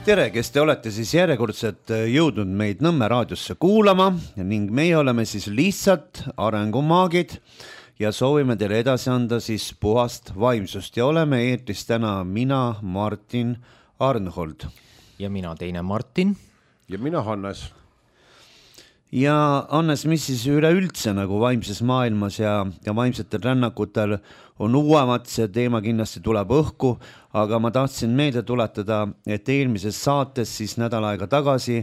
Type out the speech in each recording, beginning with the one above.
Tere, kes te olete siis järjekordselt jõudnud meid Nõmme raadiosse kuulama ning meie oleme siis lihtsalt arengumaagid ja soovime teile edasi anda siis puhast vaimsust ja oleme eetris täna mina, Martin Arnhold. Ja mina teine Martin. Ja mina Hannes. Ja Hannes, mis siis üleüldse nagu vaimses maailmas ja vaimsetel rännakutel on uuemat, see teema kindlasti tuleb õhku, aga ma tahtsin meelde tuletada, et eelmises saates siis nädal aega tagasi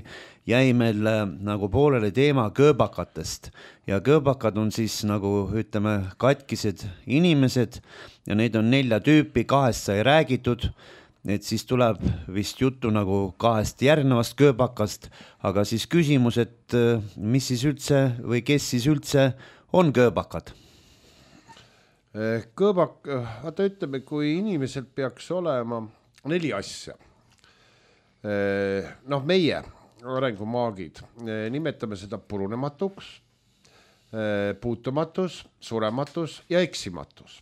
jäi meil nagu pooleli teema kööbakatest ja kööbakad on siis nagu ütleme katkised inimesed ja neid on 4 tüüpi, 2 sai räägitud. Et siis tuleb vist juttu nagu 2 järgnevast kööbakast, aga siis küsimus, et mis siis üldse või kes siis üldse on kööbakad? Kööbak, vaata ütleme, kui inimesel peaks olema 4 asja. Meie arengumaagid nimetame seda purunematuks, puutumatus, surematus ja eksimatus.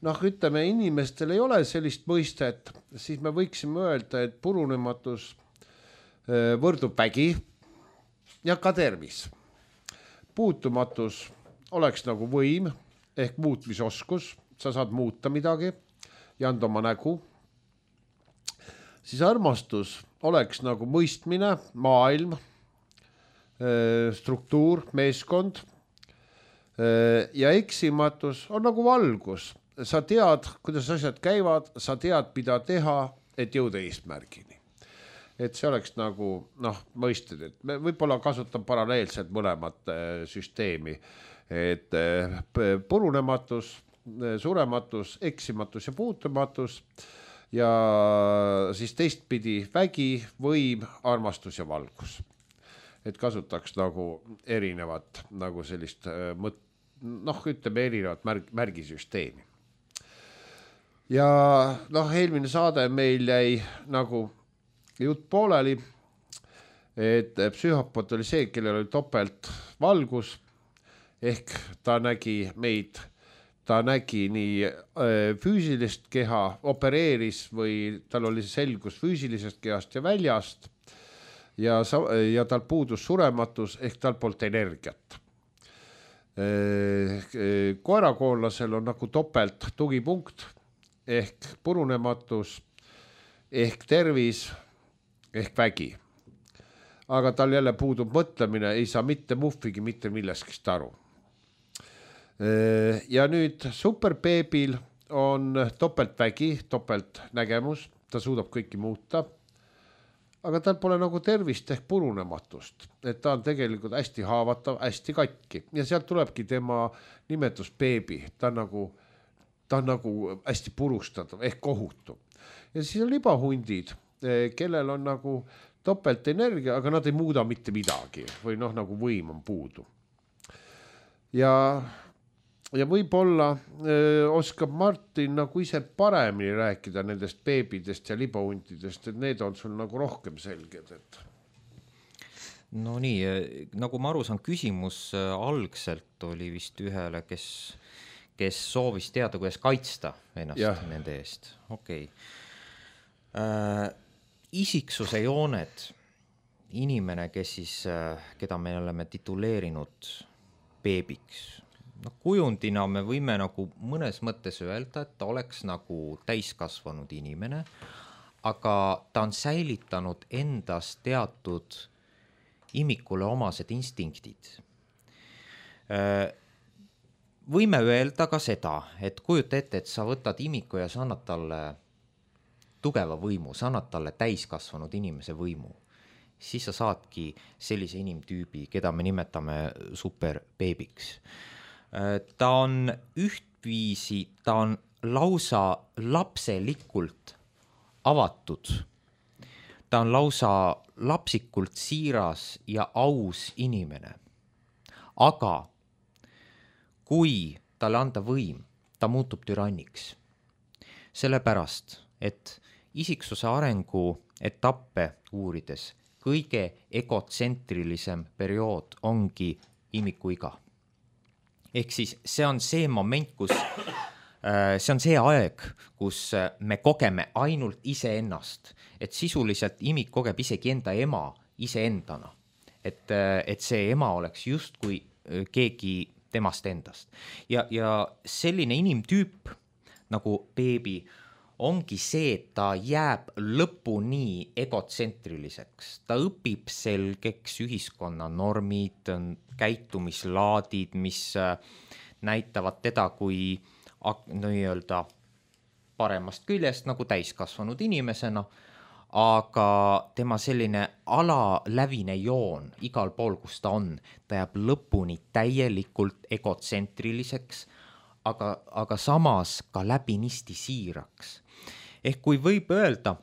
Ütleme, inimestel ei ole sellist mõistet, siis me võiksime öelda, et purunematus võrdub vägi ja ka tervis. Puutumatus oleks nagu võim ehk muutmisoskus, sa saad muuta midagi ja anda oma nägu. Siis armastus oleks nagu mõistmine, maailm, struktuur, meeskond ja eksimatus on nagu valgus. Sa tead, kuidas asjad käivad, sa tead, mida teha, et jõuda eesmärgini. Et see oleks nagu, mõisted, et me võib-olla kasutan paralleelselt mõlemat süsteemi, et purunematus, surematus, eksimatus ja puutumatus ja siis teistpidi vägi, võim, armastus ja valgus. Et kasutaks nagu erinevat, nagu sellist, ütleme erinevat märgisüsteemi. Ja eelmine saade meil jäi nagu jutt pooleli, et psühhopat oli see, kellel oli topelt valgus, ehk ta nägi meid, ta nägi nii füüsilist keha, opereeris või tal oli selgus füüsilisest kehast ja väljast ja tal puudus surematus ehk tal polnud energiat. Koerakoonlasel on nagu topelt tugipunkt ehk purunematus, ehk tervis, ehk vägi. Aga tal jälle puudub mõtlemine, ei saa mitte muhvigi, mitte milleskist aru. Ja nüüd superbeebil on topelt vägi, topelt nägemus, ta suudab kõiki muuta, aga tal pole nagu tervist ehk purunematust, et ta on tegelikult hästi haavatav, hästi katki ja sealt tulebki tema nimetus beebi, ta on nagu hästi purustatav ehk kohutu. Ja siis on libahundid, kellel on nagu topelt energia, aga nad ei muuda mitte midagi või nagu võim on puudu. Ja võib-olla oskab Martin nagu ise paremini rääkida nendest beebidest ja libahundidest, et need on sul nagu rohkem selged. No nii, nagu ma aru saan, küsimus algselt oli vist ühele, kes soovis teada, kuidas kaitsta ennast nende eest. Okei. Isiksuse jooned, inimene, keda me oleme tituleerinud beebiks. Kujundina me võime nagu mõnes mõttes öelda, et ta oleks nagu täiskasvanud inimene, aga ta on säilitanud endas teatud imikule omased instinktid. Võime öelda ka seda, et kujuta ette, et sa võtad imiku ja sa annad talle tugeva võimu, sa annad talle täiskasvanud inimese võimu. Siis sa saadki sellise inimtüübi, keda me nimetame superbeebiks. Ta on ühtviisi, ta on lausa lapselikult avatud. Ta on lausa lapsikult siiras ja aus inimene. Aga kui talle anda võim, ta muutub türanniks. Sellepärast, et isiksuse arengu etappe uurides kõige egotsentrilisem periood ongi imikuiga. Ehk siis see on see moment, kus see on see aeg, kus me kogeme ainult iseennast, et sisuliselt imik kogeb isegi enda ema iseendana, et see ema oleks justkui keegi temast endast. Ja selline inimtüüp nagu beebi ongi see, et ta jääb lõpuni egotsentriliseks, ta õpib selgeks ühiskonna normid, käitumislaadid, mis näitavad teda kui nii-öelda paremast küljest nagu täiskasvanud inimesena, aga tema selline alalävine joon igal pool, kus ta on, ta jääb lõpuni täielikult egotsentriliseks, aga samas ka läbinisti siiraks. Ehk kui võib öelda,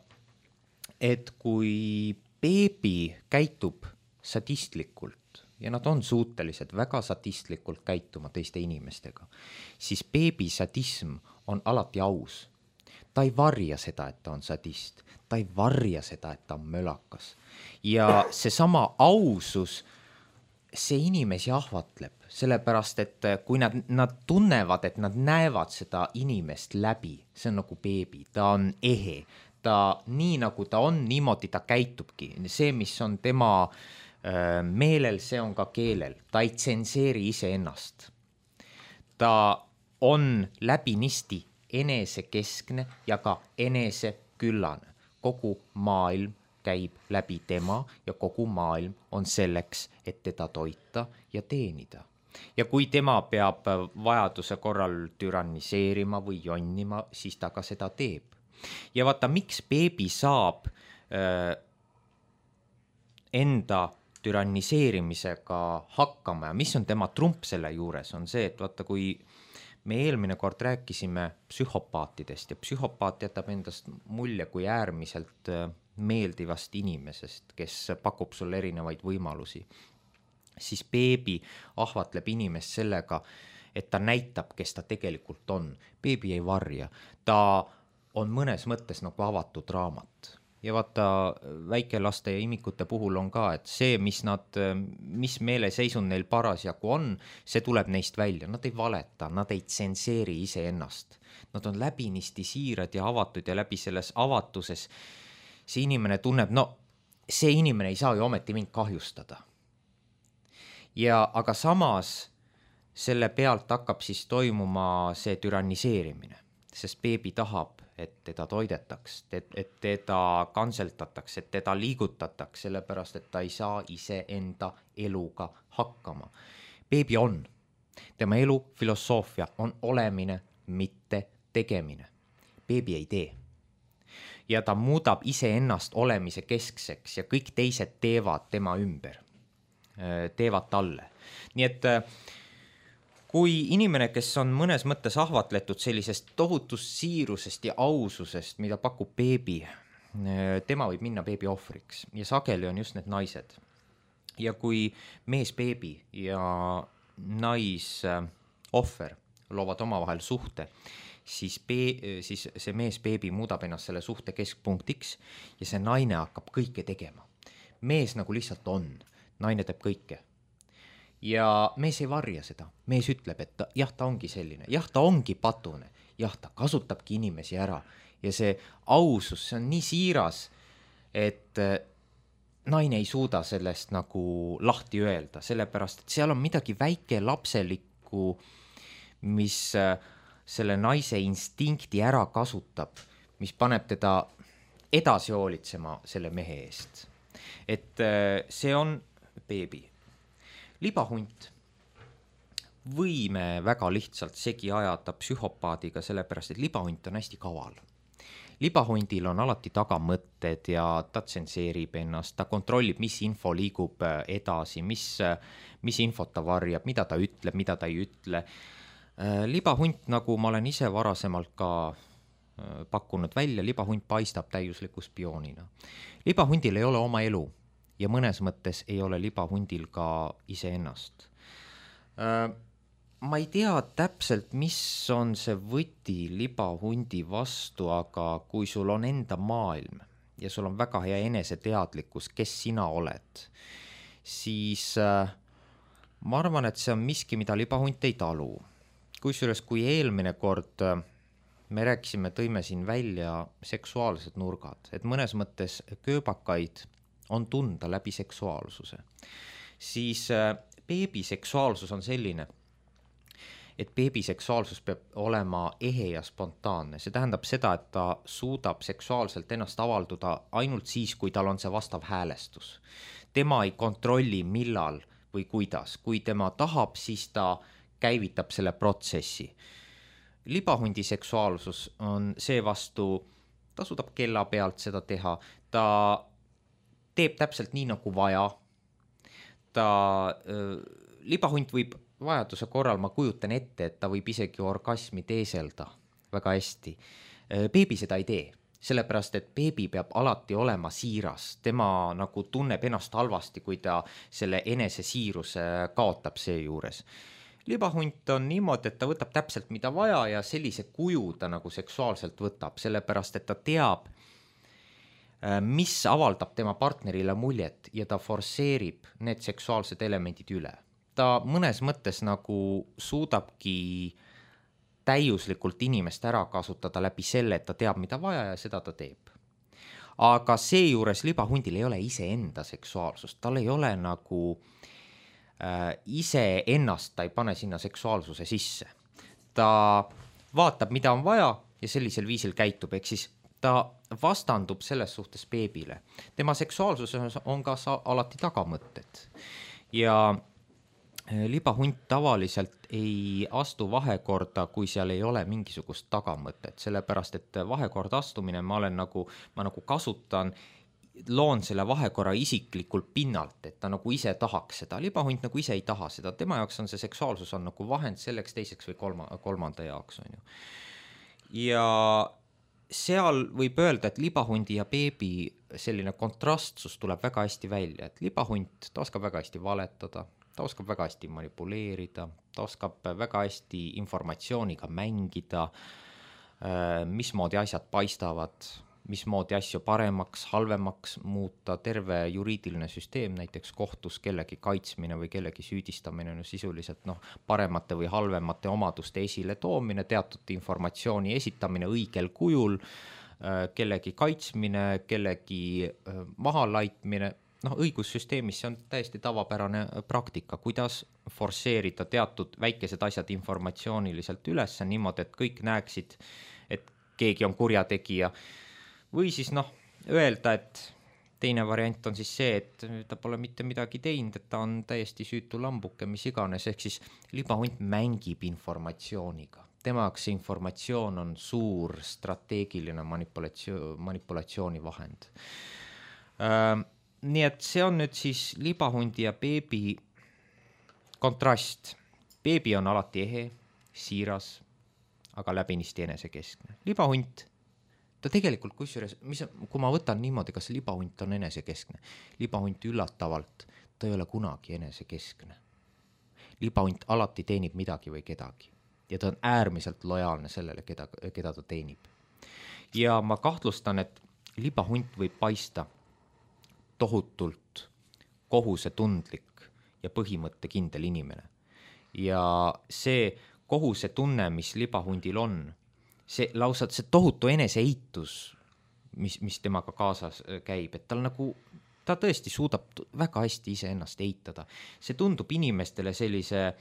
et kui beebi käitub sadistlikult, ja nad on suutelised väga sadistlikult käituma teiste inimestega, siis beebi sadism on alati aus. Ta ei varja seda, et ta on sadist, ta ei varja seda, et ta on mölakas. Ja seesama ausus, see inimesi ahvatleb, sellepärast, et kui nad tunnevad, et nad näevad seda inimest läbi, see on nagu beebi, ta on ehe, ta nii nagu ta on, niimoodi ta käitubki, see, mis on tema meelel, see on ka keelel, ta ei tsenseeri iseennast. Ta on läbinisti enesekeskne ja ka eneseküllane. Kogu maailm käib läbi tema ja kogu maailm on selleks, et teda toita ja teenida. Ja kui tema peab vajaduse korral türanniseerima või jonnima, siis ta ka seda teeb. Ja vaata, miks beebi saab enda türanniseerimisega hakkama ja mis on tema trump selle juures, on see, et vaata, kui me eelmine kord rääkisime psühhopaatidest ja psühhopaat jätab endast mulje kui äärmiselt meeldivast inimesest, kes pakub sulle erinevaid võimalusi, siis beebi ahvatleb inimest sellega, et ta näitab, kes ta tegelikult on. Beebi ei varja, ta on mõnes mõttes nagu avatud raamat. Ja vaata, väikelaste ja imikute puhul on ka, et see, mis meeleseisund neil parasjagu on, see tuleb neist välja. Nad ei valeta, nad ei tsenseeri iseennast. Nad on läbinisti siirad ja avatud ja läbi selles avatuses see inimene tunneb, no see inimene ei saa ju ometi mind kahjustada. Aga samas selle pealt hakkab siis toimuma see türanniseerimine, sest beebi tahab, et teda toidetaks, et teda kantseltataks, et teda liigutataks, sellepärast, et ta ei saa ise enda eluga hakkama. Beebi on. Tema elu filosoofia on olemine, mitte tegemine. Beebi ei tee. Ja ta muudab iseennast olemise keskseks ja kõik teised teevad tema ümber, teevad talle. Nii et kui inimene, kes on mõnes mõttes ahvatletud sellisest tohutust siirusest ja aususest, mida pakub beebi, tema võib minna beebi ohvriks ja sageli on just need naised. Ja kui mees beebi ja nais ohver loovad omavahel suhte, siis see mees beebi muudab ennast selle suhte keskpunktiks ja see naine hakkab kõike tegema. Mees nagu lihtsalt on, naine teeb kõike. Ja mees ei varja seda, mees ütleb, et jah, ta ongi selline, jah, ta ongi patune, jah, ta kasutabki inimesi ära ja see ausus, see on nii siiras, et naine ei suuda sellest nagu lahti öelda, sellepärast, et seal on midagi väike lapselikku, mis selle naise instinkti ära kasutab, mis paneb teda edasi hoolitsema selle mehe eest. Et see on beebi. Libahunt võime väga lihtsalt segi ajada psühhopaadiga, sellepärast, et libahunt on hästi kaval. Libahundil on alati tagamõtted ja ta tsenseerib ennast, ta kontrollib, mis info liigub edasi, mis infot ta varjab, mida ta ütleb, mida ta ei ütle. Libahunt, nagu ma olen ise varasemalt ka pakkunud välja, libahunt paistab täiusliku spioonina. Libahundil ei ole oma elu. Ja mõnes mõttes ei ole libahundil ka iseennast. Ma ei tea täpselt, mis on see võti libahundi vastu, aga kui sul on enda maailm ja sul on väga hea eneseteadlikkus, kes sina oled, siis ma arvan, et see on miski, mida libahunt ei talu. kusjuures kui eelmine kord me rääkisime, tõime siin välja seksuaalsed nurgad, et mõnes mõttes kööbakaid on tunda läbi seksuaalsuse, siis beebiseksuaalsus on selline, et beebiseksuaalsus peab olema ehe ja spontaanne. See tähendab seda, et ta suudab seksuaalselt ennast avalduda ainult siis, kui tal on see vastav häälestus. Tema ei kontrolli millal või kuidas. Kui tema tahab, siis ta käivitab selle protsessi. Libahundi seksuaalsus on seevastu, ta suudab kella pealt seda teha, ta teeb täpselt nii nagu vaja. Libahunt võib vajaduse korral, ma kujutan ette, et ta võib isegi orgasmi teeselda väga hästi. Beebi seda ei tee, sellepärast et beebi peab alati olema siiras. Tema nagu tunneb ennast halvasti, kui ta selle enese siiruse kaotab seejuures. Libahunt on niimoodi, et ta võtab täpselt mida vaja ja sellise kuju ta nagu seksuaalselt võtab, sellepärast et ta teab, mis avaldab tema partnerile muljet ja ta forsseerib need seksuaalsed elemendid üle. Ta mõnes mõttes nagu suudabki täiuslikult inimest ära kasutada läbi selle, et ta teab, mida vaja ja seda ta teeb. Aga seejuures libahundil ei ole iseenda seksuaalsust, tal ei ole nagu ise ennast, ta ei pane sinna seksuaalsuse sisse. Ta vaatab, mida on vaja ja sellisel viisil käitub, ehk siis ta vastandub selles suhtes beebile. Tema seksuaalsuses on ka alati tagamõtted ja libahunt tavaliselt ei astu vahekorda, kui seal ei ole mingisugust tagamõtet, sellepärast et vahekorda astumine ma nagu kasutan, loon selle vahekorra isiklikult pinnalt, et ta nagu ise tahaks seda. Libahunt nagu ise ei taha seda, tema jaoks on see seksuaalsus on nagu vahend selleks teiseks või kolmanda jaoks. On ju. Ja seal võib öelda, et libahundi ja beebi selline kontrastsus tuleb väga hästi välja, et libahunt, ta oskab väga hästi valetada, ta oskab väga hästi manipuleerida, ta oskab väga hästi informatsiooniga mängida, mismoodi asjad paistavad, mismoodi asju paremaks, halvemaks muuta, terve juriidiline süsteem, näiteks kohtus kellegi kaitsmine või kellegi süüdistamine, sisuliselt paremate või halvemate omaduste esile toomine, teatud informatsiooni esitamine õigel kujul, kellegi kaitsmine, kellegi mahalaitmine, õigussüsteemis see on täiesti tavapärane praktika, kuidas forsseerida teatud väikesed asjad informatsiooniliselt üles niimoodi, et kõik näeksid, et keegi on kurjategija. Või siis öelda, et teine variant on siis see, et ta pole mitte midagi teinud, et ta on täiesti süütu lambuke, mis iganes, ehk siis libahunt mängib informatsiooniga. Tema jaoks see informatsioon on suur strateegiline manipulatsiooni vahend. Nii et see on nüüd siis libahundi ja beebi kontrast. Beebi on alati ehe, siiras, aga läbinisti enesekeskne. Libahunt, ta tegelikult kusjuures, kui ma võtan niimoodi, kas libahunt on enesekeskne, libahunt üllatavalt, ta ei ole kunagi enesekeskne. Libahunt alati teenib midagi või kedagi ja ta on äärmiselt lojaalne sellele, keda ta teenib. Ja ma kahtlustan, et libahunt võib paista tohutult kohusetundlik ja põhimõttekindel inimene. Ja see kohusetunne, mis libahundil on, see lausa see tohutu eneseeitus, mis temaga kaasas käib, et ta tõesti suudab väga hästi iseennast eitada. See tundub inimestele sellise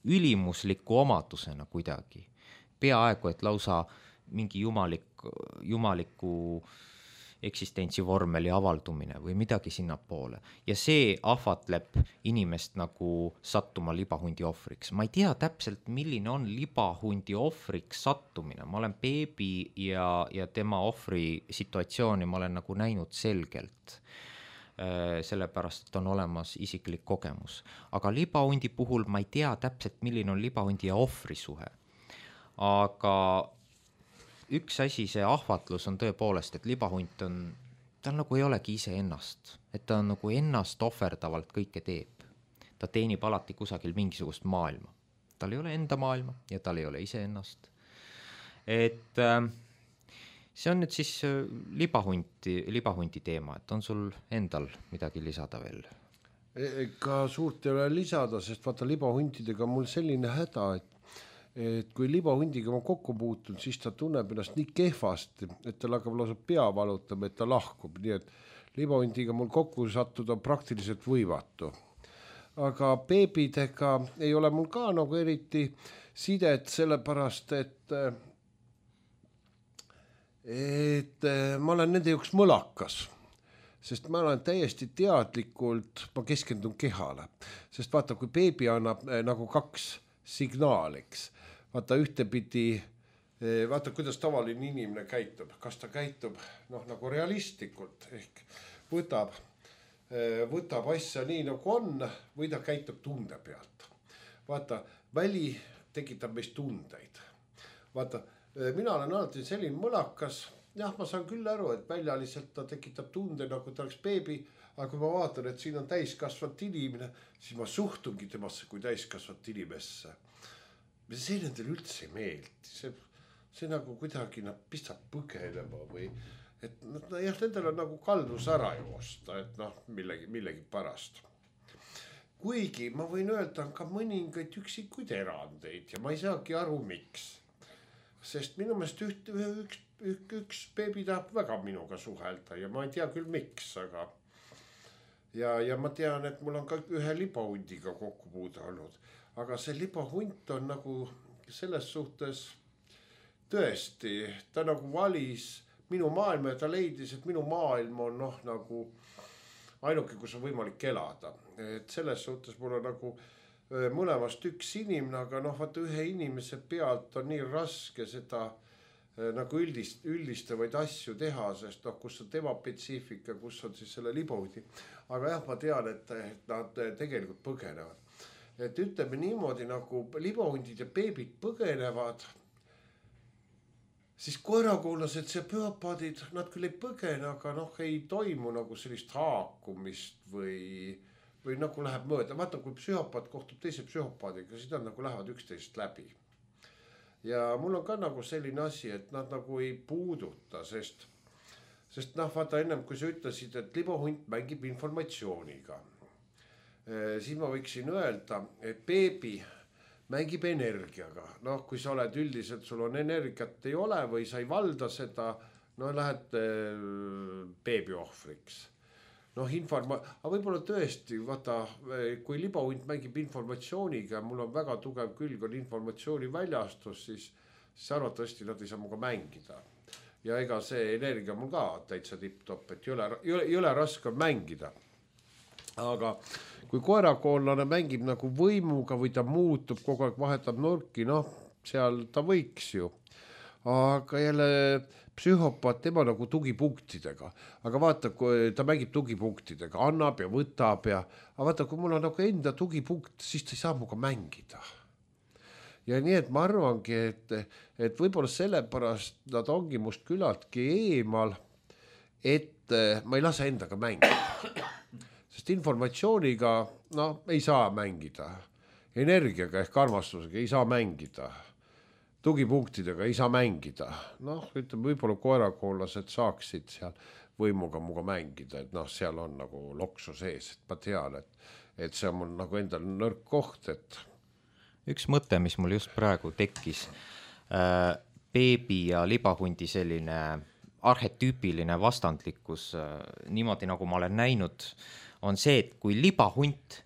ülimusliku omadusena kuidagi. Peaaegu, et lausa mingi jumaliku eksistentsivormeli avaldumine või midagi sinnapoole. Ja see ahvatleb inimest nagu sattuma libahundi ohvriks. Ma ei tea täpselt, milline on libahundi ohvriks sattumine. Ma olen beebi ja tema ohvri situatsiooni ma olen nagu näinud selgelt. Sellepärast, et on olemas isiklik kogemus. Aga libahundi puhul ma ei tea täpselt, milline on libahundi ja ohvri suhe. Aga üks asi, see ahvatlus on tõepoolest, et libahunt ta nagu ei olegi ise ennast, et ta nagu ennast ohverdavalt kõike teeb. Ta teenib alati kusagil mingisugust maailma. Tal ei ole enda maailma ja tal ei ole ise ennast. Et see on nüüd siis libahundi teema, et on sul endal midagi lisada veel? Ega suurt ei ole lisada, sest vaata libahuntidega mul selline häda, et kui libahundiga ma kokku puutun, siis ta tunneb ennast nii kehvasti, et tal hakkab lausa pea valutama, et ta lahkub, nii et libahundiga mul kokku sattuda praktiliselt võimatu. Aga beebidega ei ole mul ka nagu eriti sidet, sellepärast, et ma olen nende jaoks mõlakas, sest ma olen täiesti teadlikult, ma keskendun kehale, sest vaata, kui beebi annab nagu 2 signaaliks, vaata ühtepidi, vaata kuidas tavaline inimene käitub, kas ta käitub nagu realistlikult ehk võtab asja nii nagu on või ta käitub tunde pealt. Vaata, väli tekitab meist tundeid. Vaata, mina olen alati selline mõlakas, jah, ma saan küll aru, et väljaliselt ta tekitab tunde, nagu ta oleks beebi, aga kui ma vaatan, et siin on täiskasvanud inimene, siis ma suhtungi temasse kui täiskasvanud inimesse. See nendel üldse ei meeldi, see nagu kuidagi pistab põgenema või et jah, nendel on nagu kaldus ära joosta, et millegi pärast. Kuigi ma võin öelda, on ka mõningaid üksikuid erandeid ja ma ei saagi aru, miks. Sest minu meelest üks beebi tahab väga minuga suhelda ja ma ei tea küll miks, aga ja ma tean, et mul on ka ühe libahundiga kokkupuude olnud, aga see libahunt on nagu selles suhtes tõesti, ta nagu valis minu maailma ja ta leidis, et minu maailm on nagu ainuke, kus on võimalik elada. Et selles suhtes mul on nagu mõlemast üks inimene, aga vaata ühe inimese pealt on nii raske seda nagu üldistavaid asju teha, sest kus on tema spetsiifika, kus on siis selle libahundi. Aga jah, ma tean, et nad tegelikult põgenevad. Et ütleme niimoodi, nagu libahundid ja beebid põgenevad, siis koerakoonlased, see psühhopaadid, nad küll ei põgene, aga ei toimu nagu sellist haakumist või nagu läheb mööda. Vaata, kui psühhopaat kohtub teise psühhopaadiga, siis nad nagu lähevad üksteist läbi. Ja mul on ka nagu selline asi, et nad nagu ei puuduta, sest vaata ennem, kui sa ütlesid, et libahunt mängib informatsiooniga, siis ma võiksin öelda, et beebi mängib energiaga. Kui sa oled üldiselt, sul on energiat ei ole või sa ei valda seda, lähed beebi ohvriks. Aga võib-olla tõesti, vaata, kui libahunt mängib informatsiooniga, mul on väga tugev külg on informatsiooni väljastus, siis arvatavasti nad ei saa muga mängida. Ja ega see energia mul ka täitsa tipp-top, et ei ole raske mängida. Aga kui koerakoonlane mängib nagu võimuga või ta muutub, kogu aeg vahetab nurki, seal ta võiks ju. Aga jälle psühhopaat, tema nagu tugipunktidega. Aga vaata, kui ta mängib tugipunktidega, annab ja võtab aga vaata, kui mul on nagu enda tugipunkt, siis ta ei saa muga mängida. Ja nii, et ma arvangi, et võib-olla sellepärast nad ongi must küllaltki eemal, et ma ei lase endaga mängida. Sest informatsiooniga ei saa mängida, energiaga ehk armastusega ei saa mängida, tugipunktidega ei saa mängida. Ütleme, võib-olla koerakoonlased saaksid seal võimuga muga mängida, et seal on nagu loksu sees, et ma tean, et see on mul nagu endal nõrk koht, et üks mõte, mis mul just praegu tekkis, beebi ja libahundi selline arhetüüpiline vastandlikkus, niimoodi nagu ma olen näinud, on see, et kui libahunt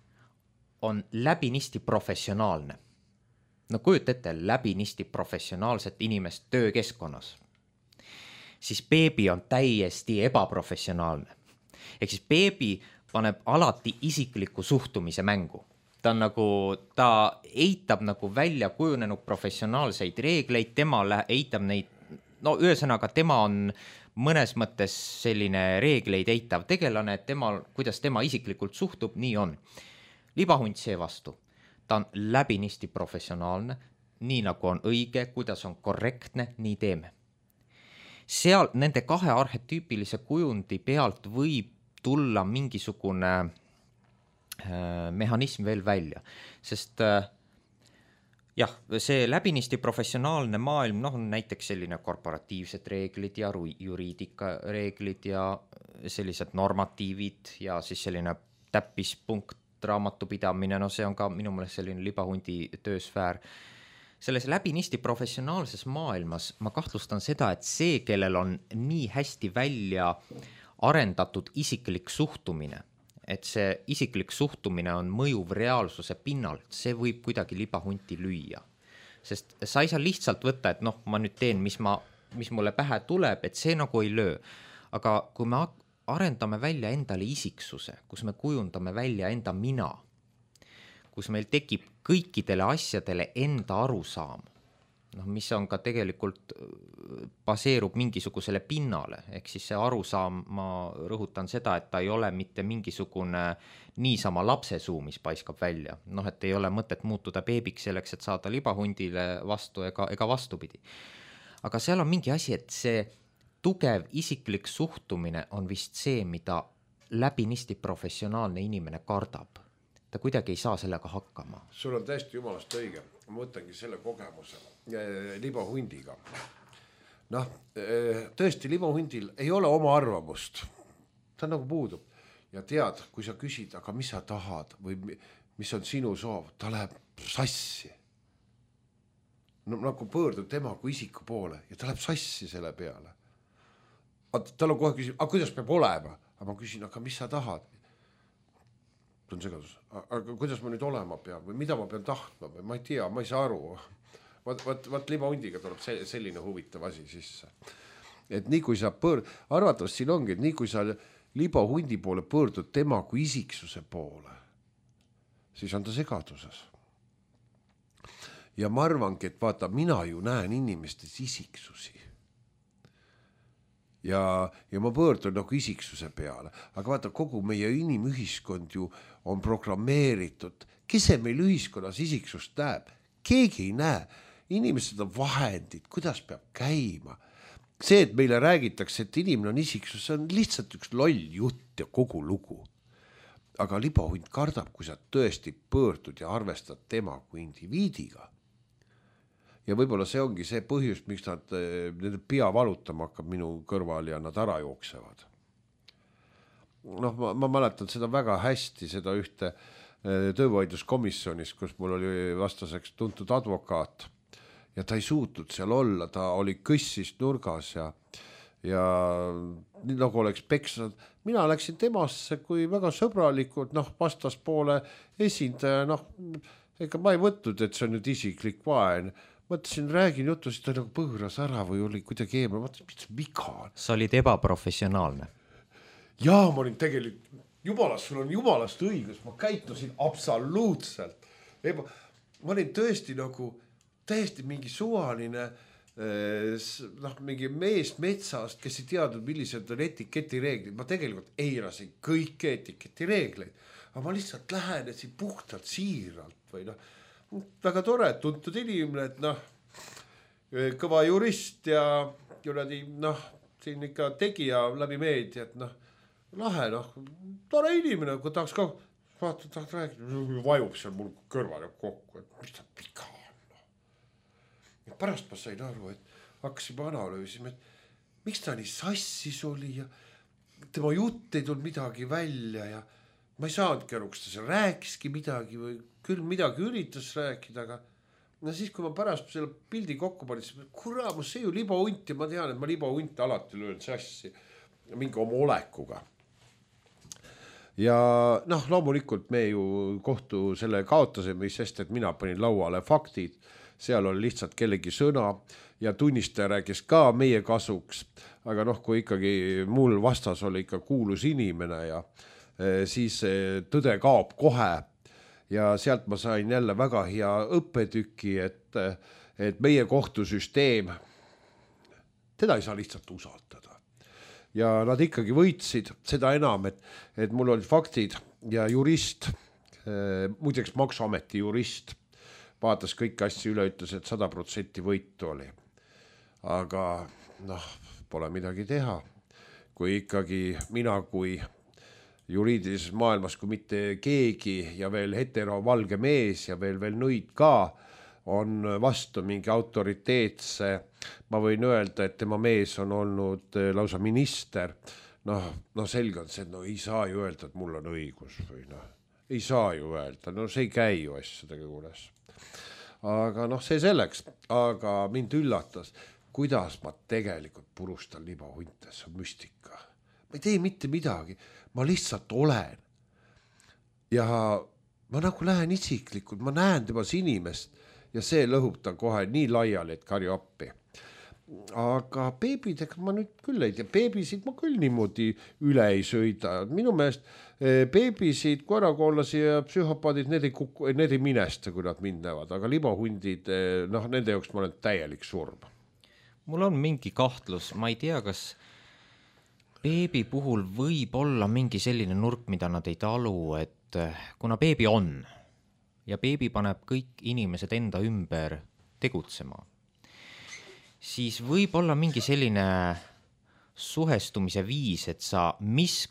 on läbinisti professionaalne, kujuta ette läbinisti professionaalset inimest töökeskkonnas, siis beebi on täiesti ebaprofessionaalne. Ehk siis beebi paneb alati isikliku suhtumise mängu. Ta eitab nagu välja kujunenud professionaalseid reegleid, tema eitab neid, ühesõnaga tema on mõnes mõttes selline reegleid eitav tegelane, et kuidas tema isiklikult suhtub, nii on. Libahunt seevastu, ta on läbinisti professionaalne, nii nagu on õige, kuidas on korrektne, nii teeme. Seal nende 2 arhetüüpilise kujundi pealt võib tulla mingisugune mehhanism veel välja, sest jah, see läbinisti professionaalne maailm, on näiteks selline korporatiivsed reeglid ja juriidika reeglid ja sellised normatiivid ja siis selline täppispunkt raamatupidamine, see on ka minu meelest selline libahundi töösfäär. selles läbinisti professionaalses maailmas ma kahtlustan seda, et see, kellel on nii hästi välja arendatud isiklik suhtumine, et see isiklik suhtumine on mõjuv reaalsuse pinnalt, see võib kuidagi libahunti lüüa. Sest sa ei saa lihtsalt võtta, et noh, ma nüüd teen, mis mulle pähe tuleb, et see nagu ei löö. Aga kui me arendame välja endale isiksuse, kus me kujundame välja enda mina, kus meil tekib kõikidele asjadele enda arusaam, noh, mis on ka tegelikult baseerub mingisugusele pinnale, ehk siis see arusaam, ma rõhutan seda, et ta ei ole mitte mingisugune niisama lapsesuu, mis paiskab välja, noh, et ei ole mõtet muutuda beebiks selleks, et saada libahundile vastu ega vastupidi. Aga seal on mingi asi, et see tugev isiklik suhtumine on vist see, mida läbinisti professionaalne inimene kardab. Ta kuidagi ei saa sellega hakkama. Sul on täiesti jumalast õige. Ma võtangi selle kogemuse libahundiga. Noh, tõesti libahundil ei ole oma arvamust. Ta nagu puudub. Ja tead, kui sa küsid, aga mis sa tahad või mis on sinu soov, ta läheb sassi. No, nagu pöördub tema kui isiku poole ja ta läheb sassi selle peale. Tal on kohe küsib, aga kuidas peab olema? Aga ma küsin, aga mis sa tahad? On segadus. Aga kuidas ma nüüd olema pean või mida ma pean tahtma või ma ei tea, ma ei saa aru. Vaat libahundiga tuleb selline huvitav asi sisse. Et nii kui sa arvatavasti siin ongi, et nii kui sa libahundi poole pöördud tema kui isiksuse poole, siis on ta segaduses. Ja ma arvangi, et vaata, mina ju näen inimestes isiksusi. Ja ma pöördun nagu isiksuse peale, aga vaata, kogu meie inimühiskond ju on programmeeritud. Kes see meil ühiskonnas isiksust näeb? Keegi ei näe. Inimesed on vahendid, kuidas peab käima. See, et meile räägitakse, et inimene on isiksus, see on lihtsalt üks loll jutt ja kogu lugu. Aga libahund kardab, kui sa tõesti pöördud ja arvestad tema kui indiviidiga. Ja võib-olla see ongi see põhjus, miks nende pea valutama hakkab minu kõrval ja nad ära jooksevad. Noh, ma mäletan seda väga hästi, seda ühte töövaidluskomisjonis, kus mul oli vastaseks tuntud advokaat ja ta ei suutnud seal olla, ta oli kõssis nurgas ja nii nagu oleks peksnud. Mina läksin temasse kui väga sõbralikult, noh, vastaspoole esindaja, noh, ega ma ei võtnud, et see on nüüd isiklik vaen. Mõtlesin, räägin juttu, siis ta nagu põõras ära või oli kuidagi eemal. Mõtlesin, mis viga on? Sa olid ebaprofessionaalne. Jaa, ma olin tegelikult, sul on jumalast õigus, ma käitusin absoluutselt. Ma olin tõesti nagu, täiesti mingi suvaline, mingi mees metsast, kes ei teadnud, millised on etiketi reeglid. Ma tegelikult eirasin kõiki etiketi reegleid, aga ma lihtsalt lähenesin puhtalt siiralt või noh, väga tore, tuntud inimene, et kõva jurist ja siin ikka tegija läbi meedia, et lahe, tore inimene, kui tahaks ka vaata, tahaks rääkida, vajub seal mul kõrvale kokku, et mis ta pika on. Ja pärast ma sain aru, et hakkasime analüüsima, et miks ta nii sassis oli ja tema jutt ei tulnud midagi välja ja ma ei saanudki aru, kas ta seal rääkiski midagi või küll midagi üritas rääkida, aga siis, kui ma pärast selle pildi kokku panin, siis kuramus, see ju libahunt ja ma tean, et ma libahunt alati löön sassi mingi oma olekuga. Ja loomulikult me ju kohtu selle kaotasime, sest et mina panin lauale faktid, seal oli lihtsalt kellegi sõna ja tunnistaja rääkis ka meie kasuks, aga kui ikkagi mul vastas oli ikka kuulus inimene ja siis tõde kaob kohe ja sealt ma sain jälle väga hea õppetüki, et meie kohtusüsteem, teda ei saa lihtsalt usaldada. Ja nad ikkagi võitsid seda enam, et mul olid faktid ja jurist, muideks Maksuameti jurist, vaatas kõik asja üle, ütles, et 100% võitu oli. Aga pole midagi teha. Kui ikkagi mina kui juriidilises maailmas, kui mitte keegi ja veel hetero valge mees ja veel nõid ka on vastu mingi autoriteetse, ma võin öelda, et tema mees on olnud lausa minister, selge on see, et ei saa ju öelda, et mul on õigus või ei saa ju öelda, see ei käi ju asjadega juures. aga noh, see selleks, aga mind üllatas, kuidas ma tegelikult purustan libahunte, see on müstika. Ma ei tee mitte midagi, ma lihtsalt olen. Ja ma nagu lähen isiklikult, ma näen temas inimest ja see lõhub ta kohe nii laiali, et karju appi. Aga beebidega ma nüüd küll ei tea, beebisid ma küll niimoodi üle ei sõida. Minu meelest beebisid, koerakoolasi ja psühhopaadid, need ei minesta, kui nad mind näevad, aga libahundid, noh, nende jaoks ma olen täielik surm. Mul on mingi kahtlus, ma ei tea, kas beebi puhul võib olla mingi selline nurk, mida nad ei talu, et kuna beebi on ja beebi paneb kõik inimesed enda ümber tegutsema, siis võib olla mingi selline suhestumise viis, et sa,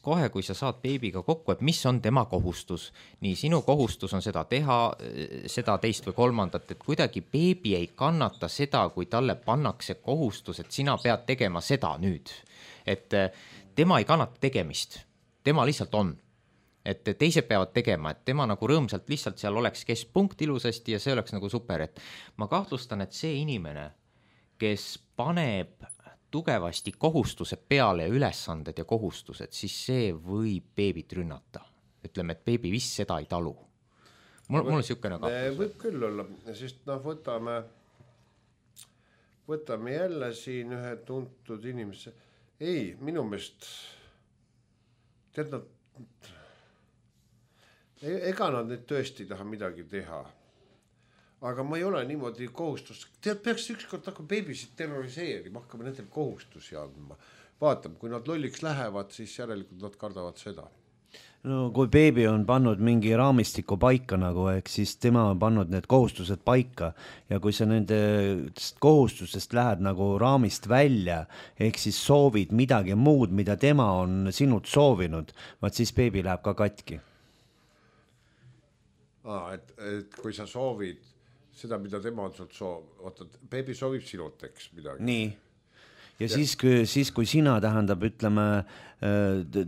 kohe kui sa saad beebiga kokku, et mis on tema kohustus, nii sinu kohustus on seda teha, seda teist või kolmandat, et kuidagi beebi ei kannata seda, kui talle pannakse kohustus, et sina pead tegema seda nüüd, et tema ei kannata tegemist, tema lihtsalt on. Et teised peavad tegema, et tema nagu rõõmsalt lihtsalt seal oleks keskpunkt ilusasti ja see oleks nagu super, et ma kahtlustan, et see inimene, kes paneb tugevasti kohustused peale ja ülesanded ja kohustused, siis see võib beebit rünnata. Ütleme, et beebi vist seda ei talu. Mul on siukene kahtlus. Võib küll olla, sest noh, võtame jälle siin ühe tuntud inimese. Ei, minu meelest tead nad ega nad nüüd tõesti taha midagi teha. Aga ma ei ole niimoodi kohustus. Tead, peaks ükskord hakkama beebisid terroriseerima, hakkame nendel kohustusi andma. Vaatame, kui nad lolliks lähevad, siis järelikult nad kardavad seda. No kui beebi on pannud mingi raamistiku paika nagu, siis tema on pannud need kohustused paika ja kui sa nende kohustusest lähed nagu raamist välja, ehk siis soovid midagi muud, mida tema on sinult soovinud, vaat siis beebi läheb ka katki. Et kui sa soovid seda, mida tema on sult oota, beebi soovib sinult, eks midagi. Nii. Ja siis kui sina tähendab, ütleme,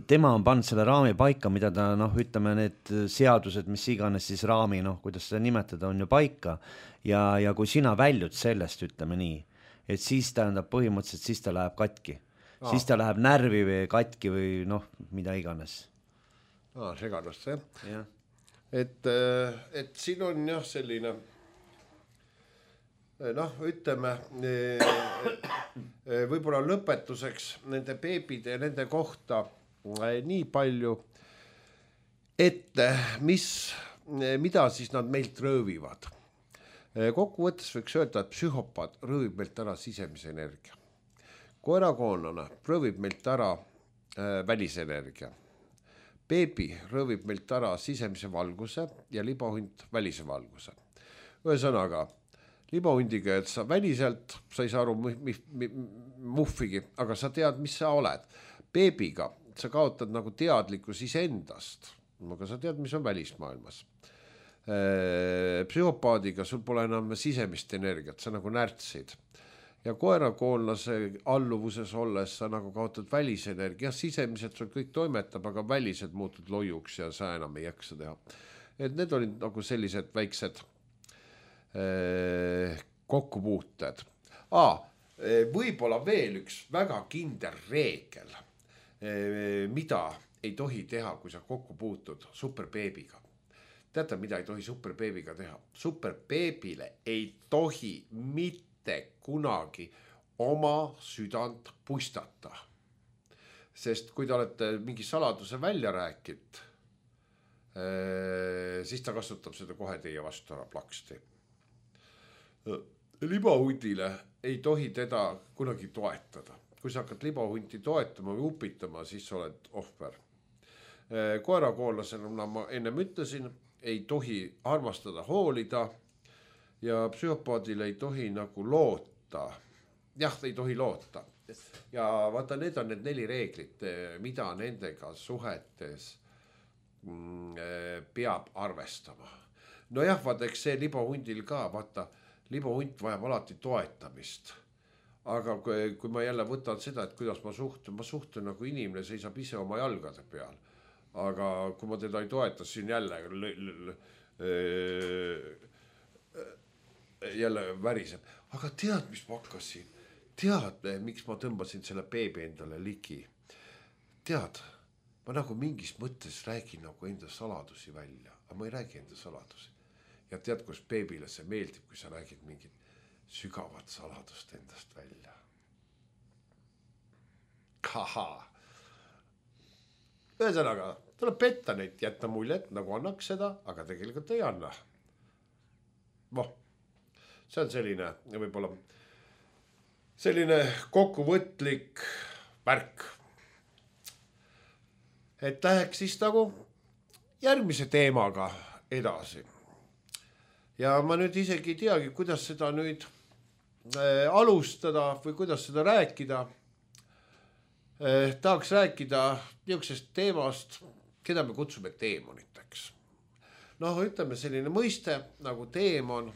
tema on pannud selle raami paika, mida ta, noh, ütleme, need seadused, mis iganes siis raami, noh, kuidas seda nimetada, on ju paika. Ja kui sina väljud sellest, ütleme nii, et siis tähendab põhimõtteliselt, siis ta läheb katki. Siis ta läheb närvi või katki või noh, mida iganes. Segadust, jah. Jah. Et siin on jah selline, noh, ütleme, võib-olla lõpetuseks nende beebide ja nende kohta nii palju, et mida siis nad meilt röövivad. Kokkuvõttes võiks öelda, et psühhopaat röövib meilt ära sisemise energia. Koerakoonlane röövib meilt ära välisenergia. Beebi röövib meilt ära sisemise valguse ja libahunt välise valguse. Ühesõnaga, libahundiga, et sa väliselt, sa ei saa aru muhvigi, aga sa tead, mis sa oled. Beebiga sa kaotad nagu teadlikkus iseendast, aga sa tead, mis on välismaailmas. Psühhopaadiga sul pole enam sisemist energiat, sa nagu närtsid. Ja koerakoonlase alluvuses olles sa nagu kaotad välisenergia, sisemiselt sul kõik toimetab, aga välised muutud loiuks ja sa enam ei jaksa teha. Et need olid nagu sellised väiksed kokkupuuted. Võib-olla veel üks väga kindel reegel, mida ei tohi teha, kui sa kokku puutud superbeebiga. Teate, mida ei tohi superbeebiga teha? Superbeebile ei tohi mitte kunagi oma südant puistata. Sest kui te olete mingi saladuse välja rääkinud, siis ta kasutab seda kohe teie vastu ära plaksti. Libahundile ei tohi teda kunagi toetada. Kui sa hakkad libahunti toetama või upitama, siis oled ohver. Koerakoonlasena, ma ennem ütlesin, ei tohi armastada, hoolida ja psühhopaadile ei tohi nagu loota. Jah, ei tohi loota. Ja vaata, need on need 4 reeglit, mida nendega suhetes peab arvestama. No jah, vaata, eks see libahundil ka, vaata, libahunt vajab alati toetamist. Aga kui ma jälle võtan seda, et kuidas ma suhtun nagu inimene seisab ise oma jalgade peal. Aga kui ma teda ei toeta, siis jälle jälle väriseb, aga tead, mis ma hakkasin, tead, miks ma tõmbasin selle beebi endale ligi, tead, ma nagu mingis mõttes räägin nagu enda saladusi välja, aga ma ei räägi enda saladusi. Ja tead, kus beebile see meeldib, kui sa räägid mingit sügavat saladust endast välja. Kaha. Ühesõnaga, tuleb petta neid, jätta muljet, nagu annaks seda, aga tegelikult ei anna. See on selline, võib-olla selline kokkuvõtlik värk. Et läheks siis nagu järgmise teemaga edasi. Ja ma nüüd isegi ei teagi, kuidas seda nüüd alustada või kuidas seda rääkida. Tahaks rääkida niisugusest teemast, keda me kutsume teemoniteks. Ütleme selline mõiste nagu teemon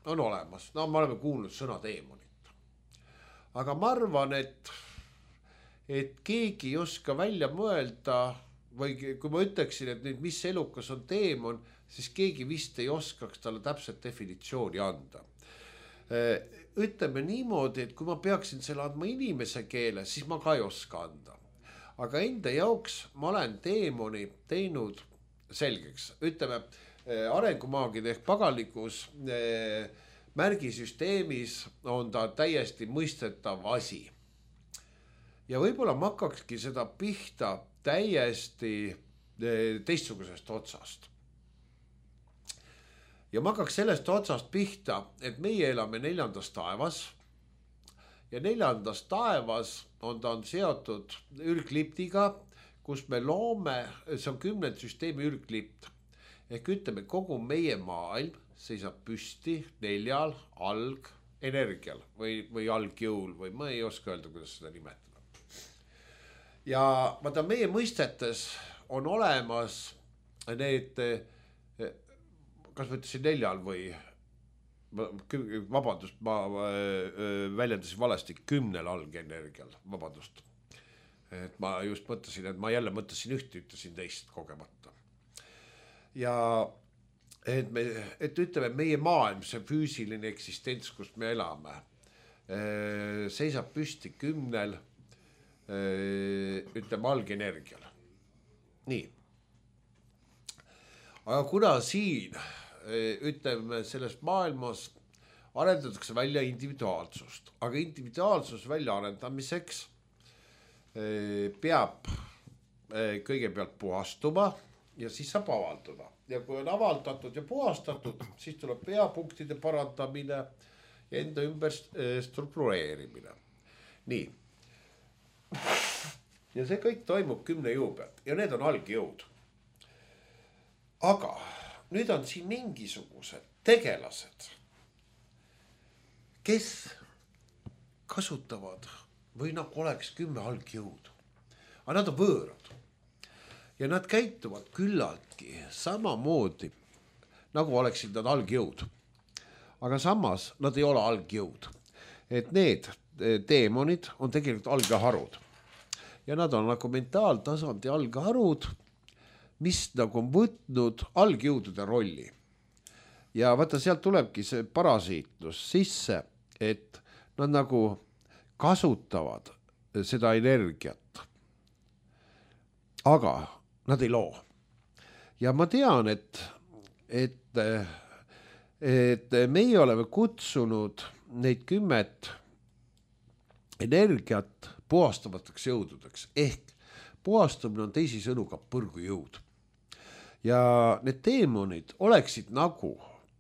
on olemas. Me oleme kuulnud sõna teemonit. Aga ma arvan, et keegi ei oska välja mõelda või kui ma ütleksin, et nüüd mis elukas on teemon, siis keegi vist ei oskaks talle täpselt definitsiooni anda. Ütleme niimoodi, et kui ma peaksin selle andma inimese keele, siis ma ka ei oska anda. Aga enda jaoks ma olen teemoni teinud selgeks. Ütleme, arengumaagide ehk paganlikus märgisüsteemis on ta täiesti mõistetav asi. Ja võib-olla ma hakkakski seda pihta täiesti teistsugusest otsast. Ja ma hakkaks sellest otsast pihta, et meie elame 4. taevas ja 4. taevas on ta seotud ürgliptiga, kus me loome, see on 10 süsteemi ürglipt. Ehk ütleme, kogu meie maailm seisab püsti 4 algenergial või algjõul või ma ei oska öelda, kuidas seda nimetada. Ja vaata meie mõistetes on olemas need, kas ma ütlesin 4 või, vabandust, ma väljendasin valesti 10 algenergial, vabandust. Et ma just mõtlesin, et ma jälle mõtlesin ühte, ütlesin teist kogemata. Ja et ütleme, meie maailm, see füüsiline eksistents, kus me elame, seisab püsti 10 ütleme algenergial. Nii. Aga kuna siin, ütleme, selles maailmas arendatakse välja individuaalsust, aga individuaalsus välja arendamiseks peab kõigepealt puhastuma ja siis saab avalduda. Ja kui on avaldatud ja puhastatud, siis tuleb peapunktide parandamine ja enda ümber struktureerimine. Nii. Ja see kõik toimub 10 jõu pealt ja need on algjõud. Aga nüüd on siin mingisugused tegelased, kes kasutavad või nagu oleks 10 algjõud. Aga nad on võõrad ja nad käituvad küllaltki samamoodi, nagu oleksid nad algjõud. Aga samas nad ei ole algjõud. Et need teemonid on tegelikult algeharud. Ja nad on nagu mentaaltasandi algeharud, mis nagu on võtnud algjõudude rolli. Ja vaata, sealt tulebki see parasiitlus sisse, et nad nagu kasutavad seda energiat. Aga nad ei loo. Ja ma tean, et meie oleme kutsunud neid 10 energiat puhastavateks jõududeks. Ehk puhastamine on teisisõnu ka põrgujõud. Ja need teemonid oleksid nagu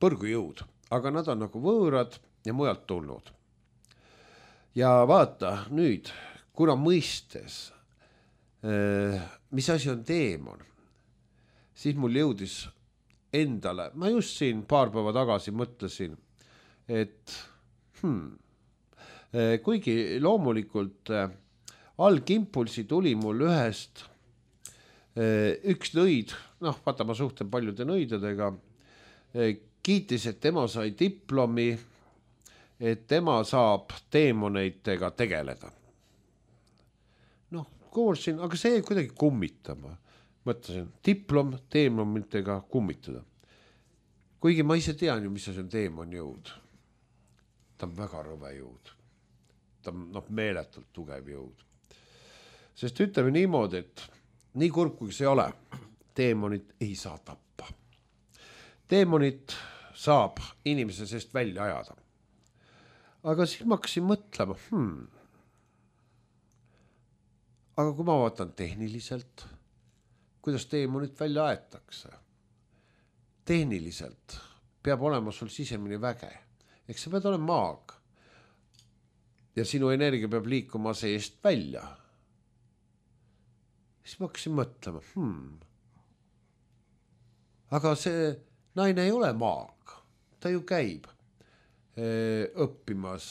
põrgujõud, aga nad on nagu võõrad ja mujalt tulnud. Ja vaata nüüd, kuna mõistes, mis asi on teemon, siis mul jõudis endale, ma just siin paar päeva tagasi mõtlesin, et kuigi loomulikult algimpulsi tuli mul ühest üks nõid, vaata ma suhtlen paljude nõidadega, kiitis, et tema sai diplomi, et tema saab teemoneitega tegeleda. Kuulsin, aga see jäi kuidagi kummitama. Mõtlesin, diplom teemonitega kummitada. Kuigi ma ise tean ju, mis see on teemon jõud. ta on väga rõve jõud. Ta on meeletult tugev jõud. Sest ütleme niimoodi, et nii kurb kui see ei ole, teemonit ei saa tappa. Teemonit saab inimese seest välja ajada. Aga siis ma hakkasin mõtlema, aga kui ma vaatan tehniliselt, kuidas teemonit välja aetakse, tehniliselt peab olema sul sisemine väge. Eks sa pead olema maag. Ja sinu energia peab liikuma seest välja. Siis ma hakkasin mõtlema, aga see naine ei ole maag. Ta ju käib õppimas,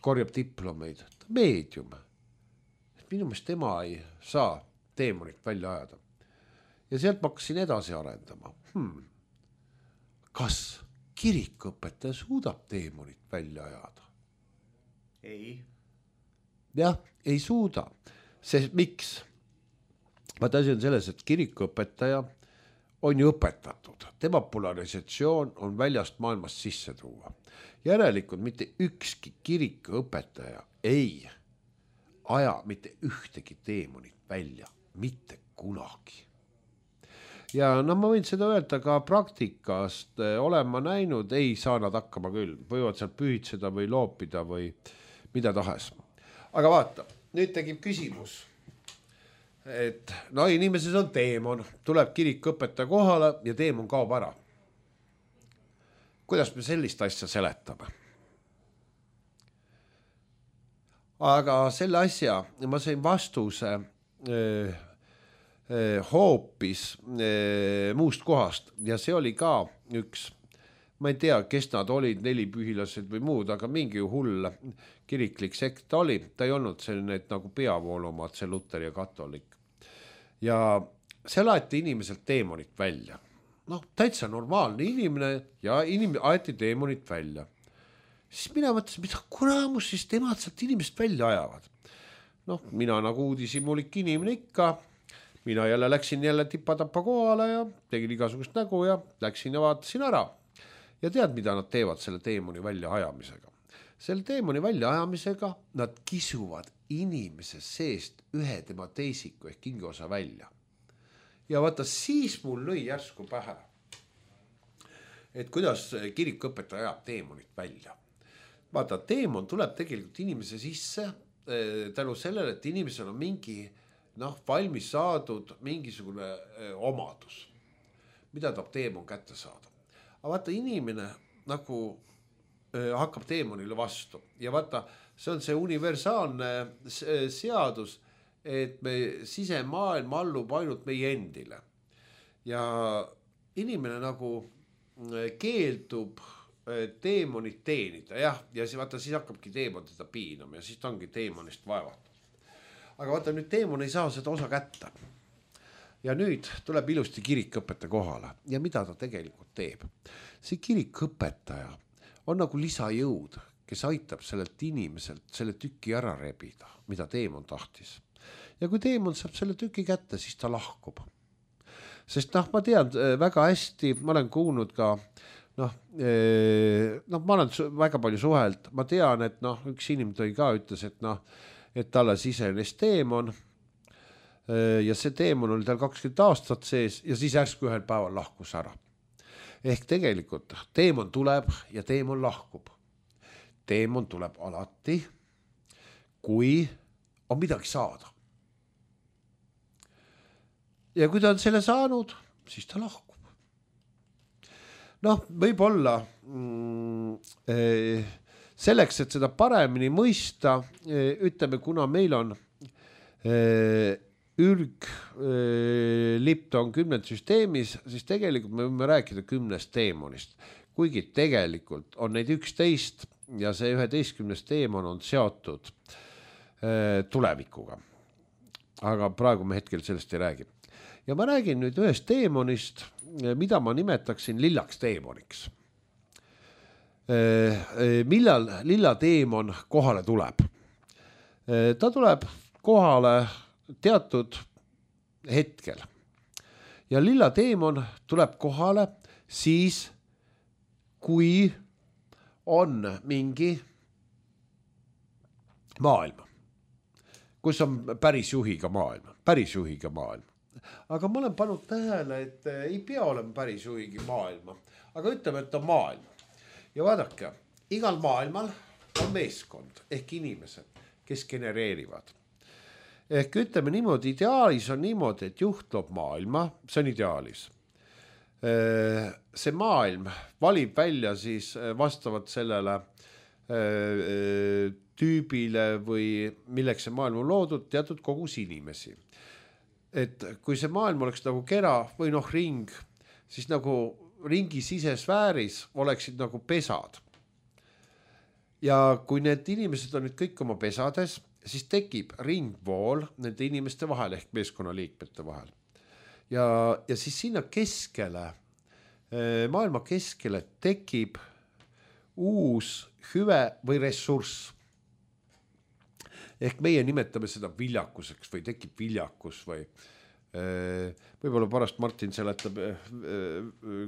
korjab diplomeid, ta meedium. Minu meelest tema ei saa teemonit välja ajada. Ja sealt ma hakkasin edasi arendama. Kas kirikuõpetaja suudab teemonit välja ajada? Ei. Jah, ei suuda. Sest miks? Vaata asi on selles, et kirikuõpetaja on ju õpetatud. Tema polarisatsioon on väljast maailmast sisse tuua. Järelikult mitte ükski kirikuõpetaja ei aja mitte ühtegi teemonit välja. Mitte kunagi. Ja ma võin seda öelda ka praktikast, olen ma näinud, ei saa nad hakkama küll. Võivad seal pühitseda või loopida või mida tahes. Aga vaata, nüüd tegib küsimus, et inimeses on teemon, tuleb kirikuõpetaja kohale ja teemon kaob ära. Kuidas me sellist asja seletame? Aga selle asja ma sain vastuse hoopis muust kohast ja see oli ka üks, ma ei tea, kes nad olid, 4 pühilased või muud, aga mingi hull kiriklik sekt oli, ta ei olnud selline nagu peavoolumad, see Luter ja katolik. Ja see laeti inimeselt teemonit välja. Täitsa normaalne inimene ja aeti teemonit välja. Siis mina mõtlesin, mida kuramus siis temad sealt inimest välja ajavad. Mina nagu uudisimulik inimene ikka, mina jälle läksin tipa-tapa kohale ja tegin igasugust nägu ja läksin ja vaatasin ära. Ja tead, mida nad teevad selle teemoni välja ajamisega? Selle teemoni välja ajamisega nad kisuvad inimese seest ühe tema teisiku ehk hingeosa välja. Ja vaata, siis mul lõi järsku pähe, et kuidas kirikuõpetaja ajab teemonit välja. Vaata, teemon tuleb tegelikult inimese sisse tänu sellele, et inimesel on mingi valmis saadud mingisugune omadus, mida tahab teemon kätte saada. Aga vaata, inimene nagu hakkab teemonile vastu ja vaata, see on see universaalne seadus, et me sisemaailm allub ainult meie endile. Ja inimene nagu keeldub teemonit teenida, ja vaata, siis hakkabki teemon teda piinama ja siis ta ongi teemonist vaevatud. Aga vaata, nüüd teemon ei saa seda osa kätte. Ja nüüd tuleb ilusti kirikuõpetaja kohale ja mida ta tegelikult teeb. See kirikuõpetaja on nagu lisajõud, kes aitab sellelt inimeselt selle tüki ära rebida, mida teemon tahtis. Ja kui teemon saab selle tüki kätte, siis ta lahkub. Sest ma tean väga hästi, ma olen kuulnud ka, ma olen väga palju suhelt, ma tean, et üks inimene tõi ka ütles, et talle sisenes teemon ja see teemon oli tal 20 aastat sees ja siis järsku ühel päeval lahkus ära. Ehk tegelikult teemon tuleb ja teemon lahkub. Teemon tuleb alati, kui on midagi saada. Ja kui ta on selle saanud, siis ta lahkub. Võib-olla selleks, et seda paremini mõista, ütleme, kuna meil on ürglipton 10 süsteemis, siis tegelikult me võime rääkida 10 teemonist. Kuigi tegelikult on neid 11 ja see 11. teemon on seotud tulevikuga. Aga praegu me hetkel sellest ei räägi. Ja ma räägin nüüd ühest teemonist, mida ma nimetaksin lillaks teemoniks. Millal lilla teemon kohale tuleb? Ta tuleb kohale teatud hetkel. Ja lilla teemon tuleb kohale siis, kui on mingi maailm, kus on päris juhiga maailm. Aga ma olen pannud tähele, et ei pea olema päris juhigi maailma, aga ütleme, et on maailm. Ja vaadake, igal maailmal on meeskond ehk inimesed, kes genereerivad. Ehk ütleme niimoodi, ideaalis on niimoodi, et juht loob maailma, see on ideaalis. See maailm valib välja siis vastavalt sellele tüübile või milleks see maailm on loodud, teatud kogus inimesi. Et kui see maailm oleks nagu kera või ring, siis nagu ringi sisesfääris oleksid nagu pesad. Ja kui need inimesed on nüüd kõik oma pesades, siis tekib ringvool nende inimeste vahel ehk meeskonnaliikmete vahel. Ja siis sinna keskele, maailma keskele tekib uus hüve või ressurss. Ehk meie nimetame seda viljakuseks või tekib viljakus või võib-olla pärast Martin seletab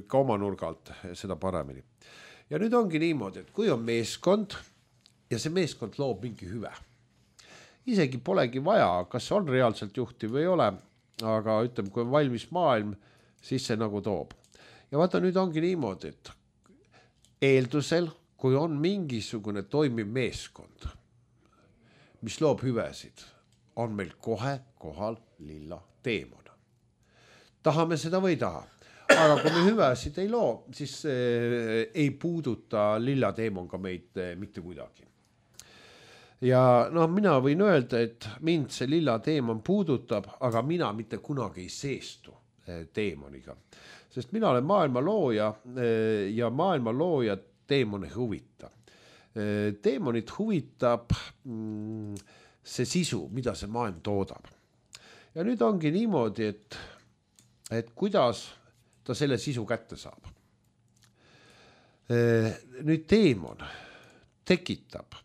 ka oma nurgalt seda paremini. Ja nüüd ongi niimoodi, et kui on meeskond ja see meeskond loob mingi hüve. Isegi polegi vaja, kas on reaalselt juhti või ei ole, aga ütleme, kui on valmis maailm, siis see nagu toob. Ja vaata, nüüd ongi niimoodi, et eeldusel, kui on mingisugune toimiv meeskond, mis loob hüvesid, on meil kohe kohal lilla teemon. Tahame seda või ei taha. Aga kui me hüvesid ei loo, siis ei puuduta lilla teemon ka meid mitte kuidagi. Ja mina võin öelda, et mind see lilla teemon puudutab, aga mina mitte kunagi ei seestu teemoniga. Sest mina olen maailma looja ja maailma looja teemoni huvita. Teemonit huvitab see sisu, mida see maailm toodab. Ja nüüd ongi niimoodi, et kuidas ta selle sisu kätte saab. Nüüd teemon tekitab,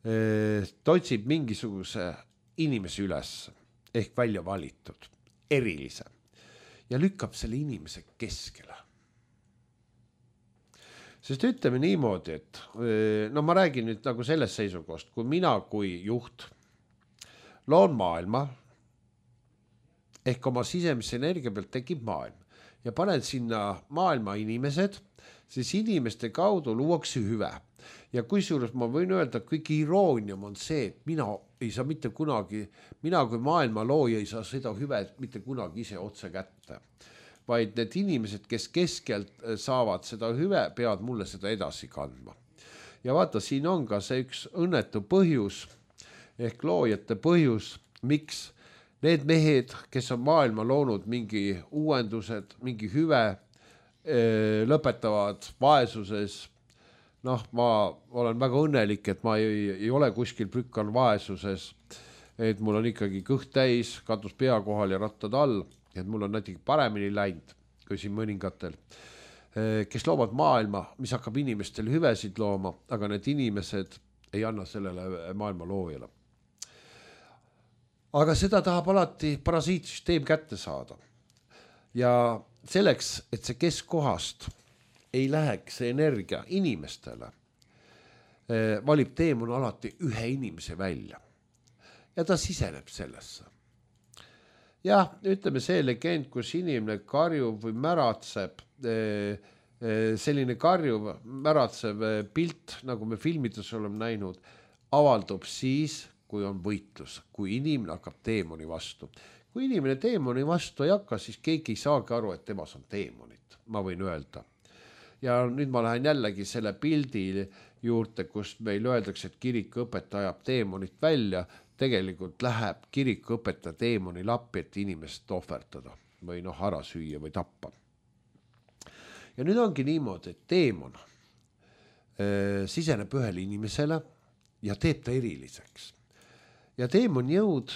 ta otsib mingisuguse inimese üles ehk välja valitud, erilise ja lükkab selle inimese keskele. Sest ütleme niimoodi, et ma räägin nüüd nagu sellest seisukohast, kui mina kui juht loon maailma ehk oma sisemise energia pealt tekib maailm ja panen sinna maailma inimesed, siis inimeste kaudu luuakse hüve. Ja kusjuures ma võin öelda, et kõige iroonium on see, et mina ei saa mitte kunagi, mina kui maailma looja ei saa seda hüve mitte kunagi ise otse kätte. Vaid need inimesed, kes keskelt saavad seda hüve, peavad mulle seda edasi kandma. Ja vaata, siin on ka see üks õnnetu põhjus ehk loojate põhjus, miks need mehed, kes on maailma loonud mingi uuendused, mingi hüve, lõpetavad vaesuses. Ma olen väga õnnelik, et ma ei ole kuskil prükkan vaesuses, et mul on ikkagi kõht täis, katus pea kohal ja rattad all. Et mul on näiteks paremini läinud kui siin mõningatel, kes loovad maailma, mis hakkab inimestel hüvesid looma, aga need inimesed ei anna sellele maailma loojale. Aga seda tahab alati parasiitsüsteem kätte saada. Ja selleks, et see keskkohast ei läheks see energia inimestele, valib teemon alati ühe inimese välja ja ta siseneb sellesse. Jah, ütleme see legend, kus inimene karjub või märatseb, selline karjuv, märatsev pilt, nagu me filmides oleme näinud, avaldub siis, kui on võitlus, kui inimene hakkab teemoni vastu. Kui inimene teemoni vastu ei hakka, siis keegi ei saagi aru, et temas on teemonit, ma võin öelda. Ja nüüd ma lähen jällegi selle pildi juurde, kus meil öeldakse, et kirikuõpetaja ajab teemonit välja, tegelikult läheb kirikuõpetaja teemoni lappi, et inimest ohverdada või ära süüa või tappa. Ja nüüd ongi niimoodi, et teemon siseneb ühele inimesele ja teeb ta eriliseks. Ja teemon jõud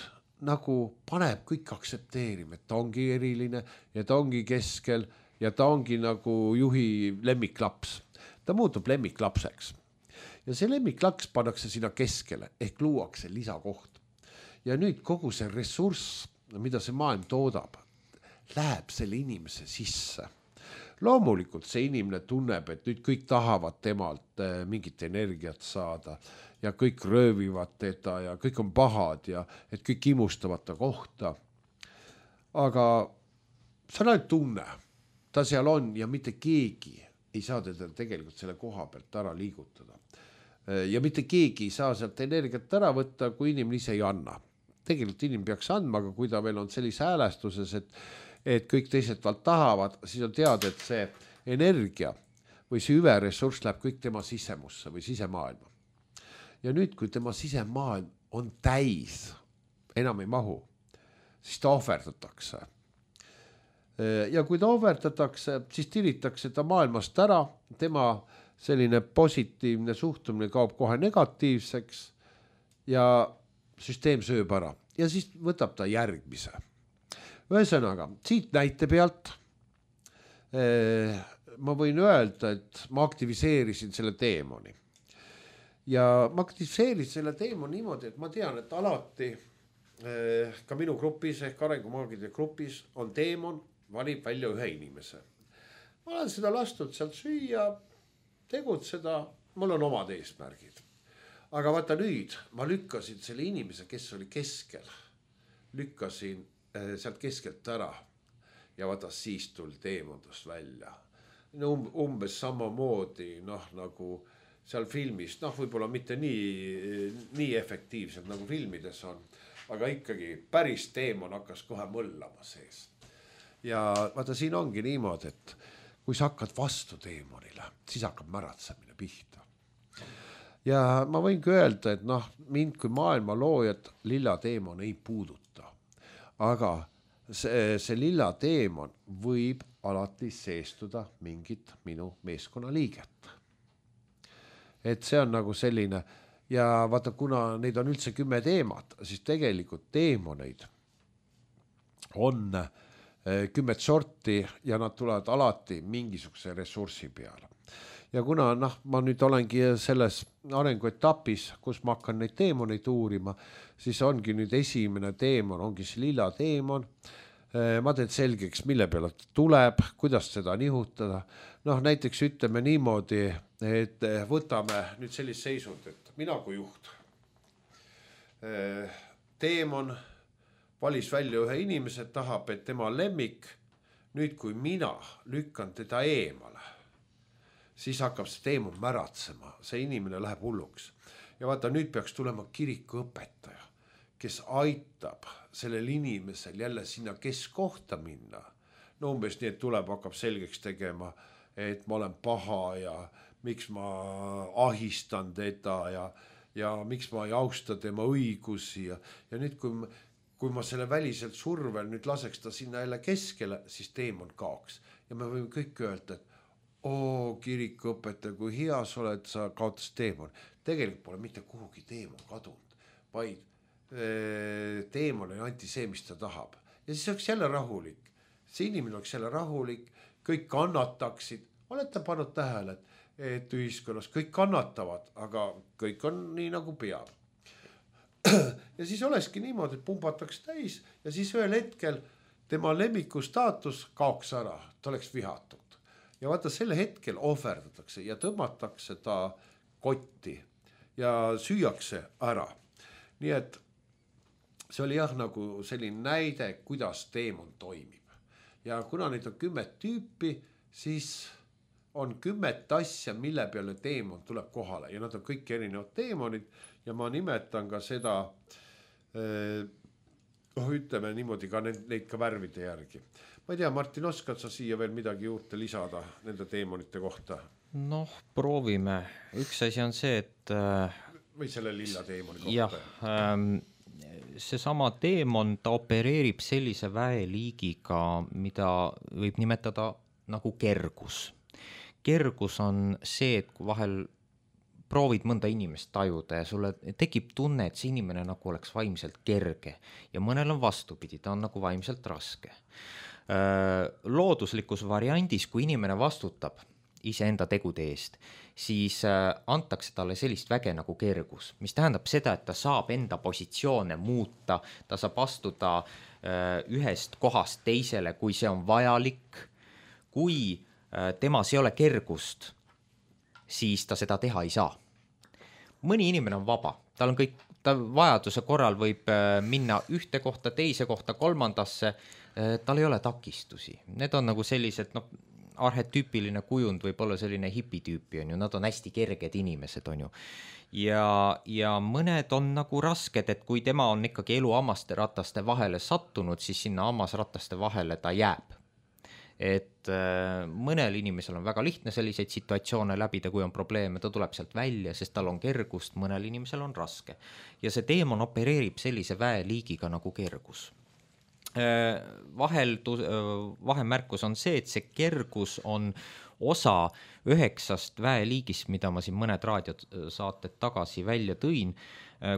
nagu paneb kõik aktsepteerima, et ta ongi eriline ja ta ongi keskel ja ta ongi nagu juhi lemmiklaps. Ta muutub lemmiklapseks. Ja see lemmiklaks pannakse sinna keskele ehk luuakse lisakoht. Ja nüüd kogu see ressurss, mida see maailm toodab, läheb selle inimese sisse. loomulikult see inimene tunneb, et nüüd kõik tahavad temalt mingit energiat saada ja kõik röövivad teda ja kõik on pahad ja et kõik imustavad ta kohta. Aga see on ainult tunne, ta seal on ja mitte keegi ei saa teda tegelikult selle koha pealt ära liigutada. Ja mitte keegi ei saa sealt energiat ära võtta, kui inimene ise ei anna. Tegelikult inimene peaks andma, aga kui ta veel on sellise häälestuses, et kõik teised valt tahavad, siis on teada, et see energia või see hüveressurss läheb kõik tema sisemusse või sisemaailma. Ja nüüd, kui tema sisemaailm on täis, enam ei mahu, siis ta ohverdatakse. Ja kui ta ohverdatakse, siis tiritakse ta maailmast ära, tema selline positiivne suhtumine kaob kohe negatiivseks ja süsteem sööb ära ja siis võtab ta järgmise. Ühesõnaga, siit näite pealt ma võin öelda, et ma aktiviseerisin selle teemoni. Ja ma aktiviseerisin selle teemoni niimoodi, et ma tean, et alati ka minu grupis ehk arengumaagide grupis on teemon, valib välja ühe inimese. Ma olen seda lastud sealt süüa, tegutseda, mul on omad eesmärgid. Aga vaata nüüd, ma lükkasin selle inimese, kes oli keskel, lükkasin sealt keskelt ära ja vaata siis tuli teemondust välja. Umbes samamoodi, nagu seal filmis, võib-olla mitte nii efektiivselt nagu filmides on, aga ikkagi päris teemon hakkas kohe mõllama sees. Ja vaata siin ongi niimoodi, et kui sa hakkad vastu teemonile, siis hakkab märatsemine pihta. Ja ma võingi öelda, et mind kui maailma loojat lilla teemon ei puuduta. Aga see lilla teemon võib alati seestuda mingit minu meeskonna liiget. Et see on nagu selline ja vaata, kuna neid on üldse 10 teemat, siis tegelikult teemoneid on 10 sorti ja nad tulevad alati mingisuguse ressursi peale. Ja kuna ma nüüd olengi selles arenguetapis, kus ma hakkan neid teemoneid uurima, siis ongi nüüd esimene teemon, ongi see lilla teemon. Ma teen selgeks, mille peale tuleb, kuidas seda nihutada. Näiteks ütleme niimoodi, et võtame nüüd sellist seisund, et mina kui juht. Teemon valis välja ühe inimese, tahab, et tema lemmik, nüüd kui mina lükkan teda eemale, siis hakkab see teemon märatsema, see inimene läheb hulluks. Ja vaata, nüüd peaks tulema kirikuõpetaja, kes aitab sellel inimesel jälle sinna keskkohta minna. Umbes nii, et tuleb, hakkab selgeks tegema, et ma olen paha ja miks ma ahistan teda ja miks ma ei austa tema õigusi. Ja nüüd, kui ma selle väliselt survel nüüd laseks ta sinna jälle keskele, siis teemon kaoks. Ja me võime kõik öelda, et kirikuõpetaja, kui hea sa oled, sa kaotas teemon. Tegelikult pole mitte kuhugi teemon kadunud, vaid teemon anti see, mis ta tahab. Ja siis oleks jälle rahulik. See inimene oleks jälle rahulik, kõik kannataksid. Olete pannud tähele, et ühiskonnas kõik kannatavad, aga kõik on nii nagu peab. Ja siis olekski niimoodi, et pumbataks täis ja siis ühel hetkel tema lemmiku staatus kaoks ära, ta oleks vihatud. Ja vaata, selle hetkel ohverdatakse ja tõmmatakse ta kotti ja süüakse ära. Nii et see oli nagu selline näide, kuidas teemon toimib. Ja kuna neid on 10 tüüpi, siis on 10 asja, mille peale teemon tuleb kohale. Ja nad on kõik erinevad teemonid ja ma nimetan ka seda, ütleme niimoodi ka neid ka värvide järgi. Ma ei tea, Martin, oskad sa siia veel midagi juurde lisada nende teemonite kohta? Proovime. Üks asi on see, et või selle lilla teemoni kohta. Jah, seesama teemon, ta opereerib sellise väeliigiga, mida võib nimetada nagu kergus. Kergus on see, et kui vahel proovid mõnda inimest tajuda ja sulle tekib tunne, et see inimene nagu oleks vaimselt kerge ja mõnel on vastupidi, ta on nagu vaimselt raske. Looduslikus variandis, kui inimene vastutab iseenda tegude eest, siis antakse talle sellist väge nagu kergus, mis tähendab seda, et ta saab enda positsioone muuta, ta saab astuda ühest kohast teisele, kui see on vajalik, kui temas ei ole kergust, siis ta seda teha ei saa. Mõni inimene on vaba, tal on kõik, ta vajaduse korral võib minna ühte kohta, teise kohta, kolmandasse, tal ei ole takistusi. Need on nagu sellised, arhetüüpiline kujund võib olla selline hipitüüpi, on ju, nad on hästi kerged inimesed, on ju. Ja mõned on nagu rasked, et kui tema on ikkagi elu hammasterataste vahele sattunud, siis sinna hammasrataste vahele ta jääb. Et mõnel inimesel on väga lihtne selliseid situatsioone läbida, kui on probleeme, ta tuleb sealt välja, sest tal on kergust, mõnel inimesel on raske. Ja see teemon opereerib sellise väeliigiga nagu kergus. Vahemärkus on see, et see kergus on osa 9 väeliigist, mida ma siin mõned raadiosaated tagasi välja tõin.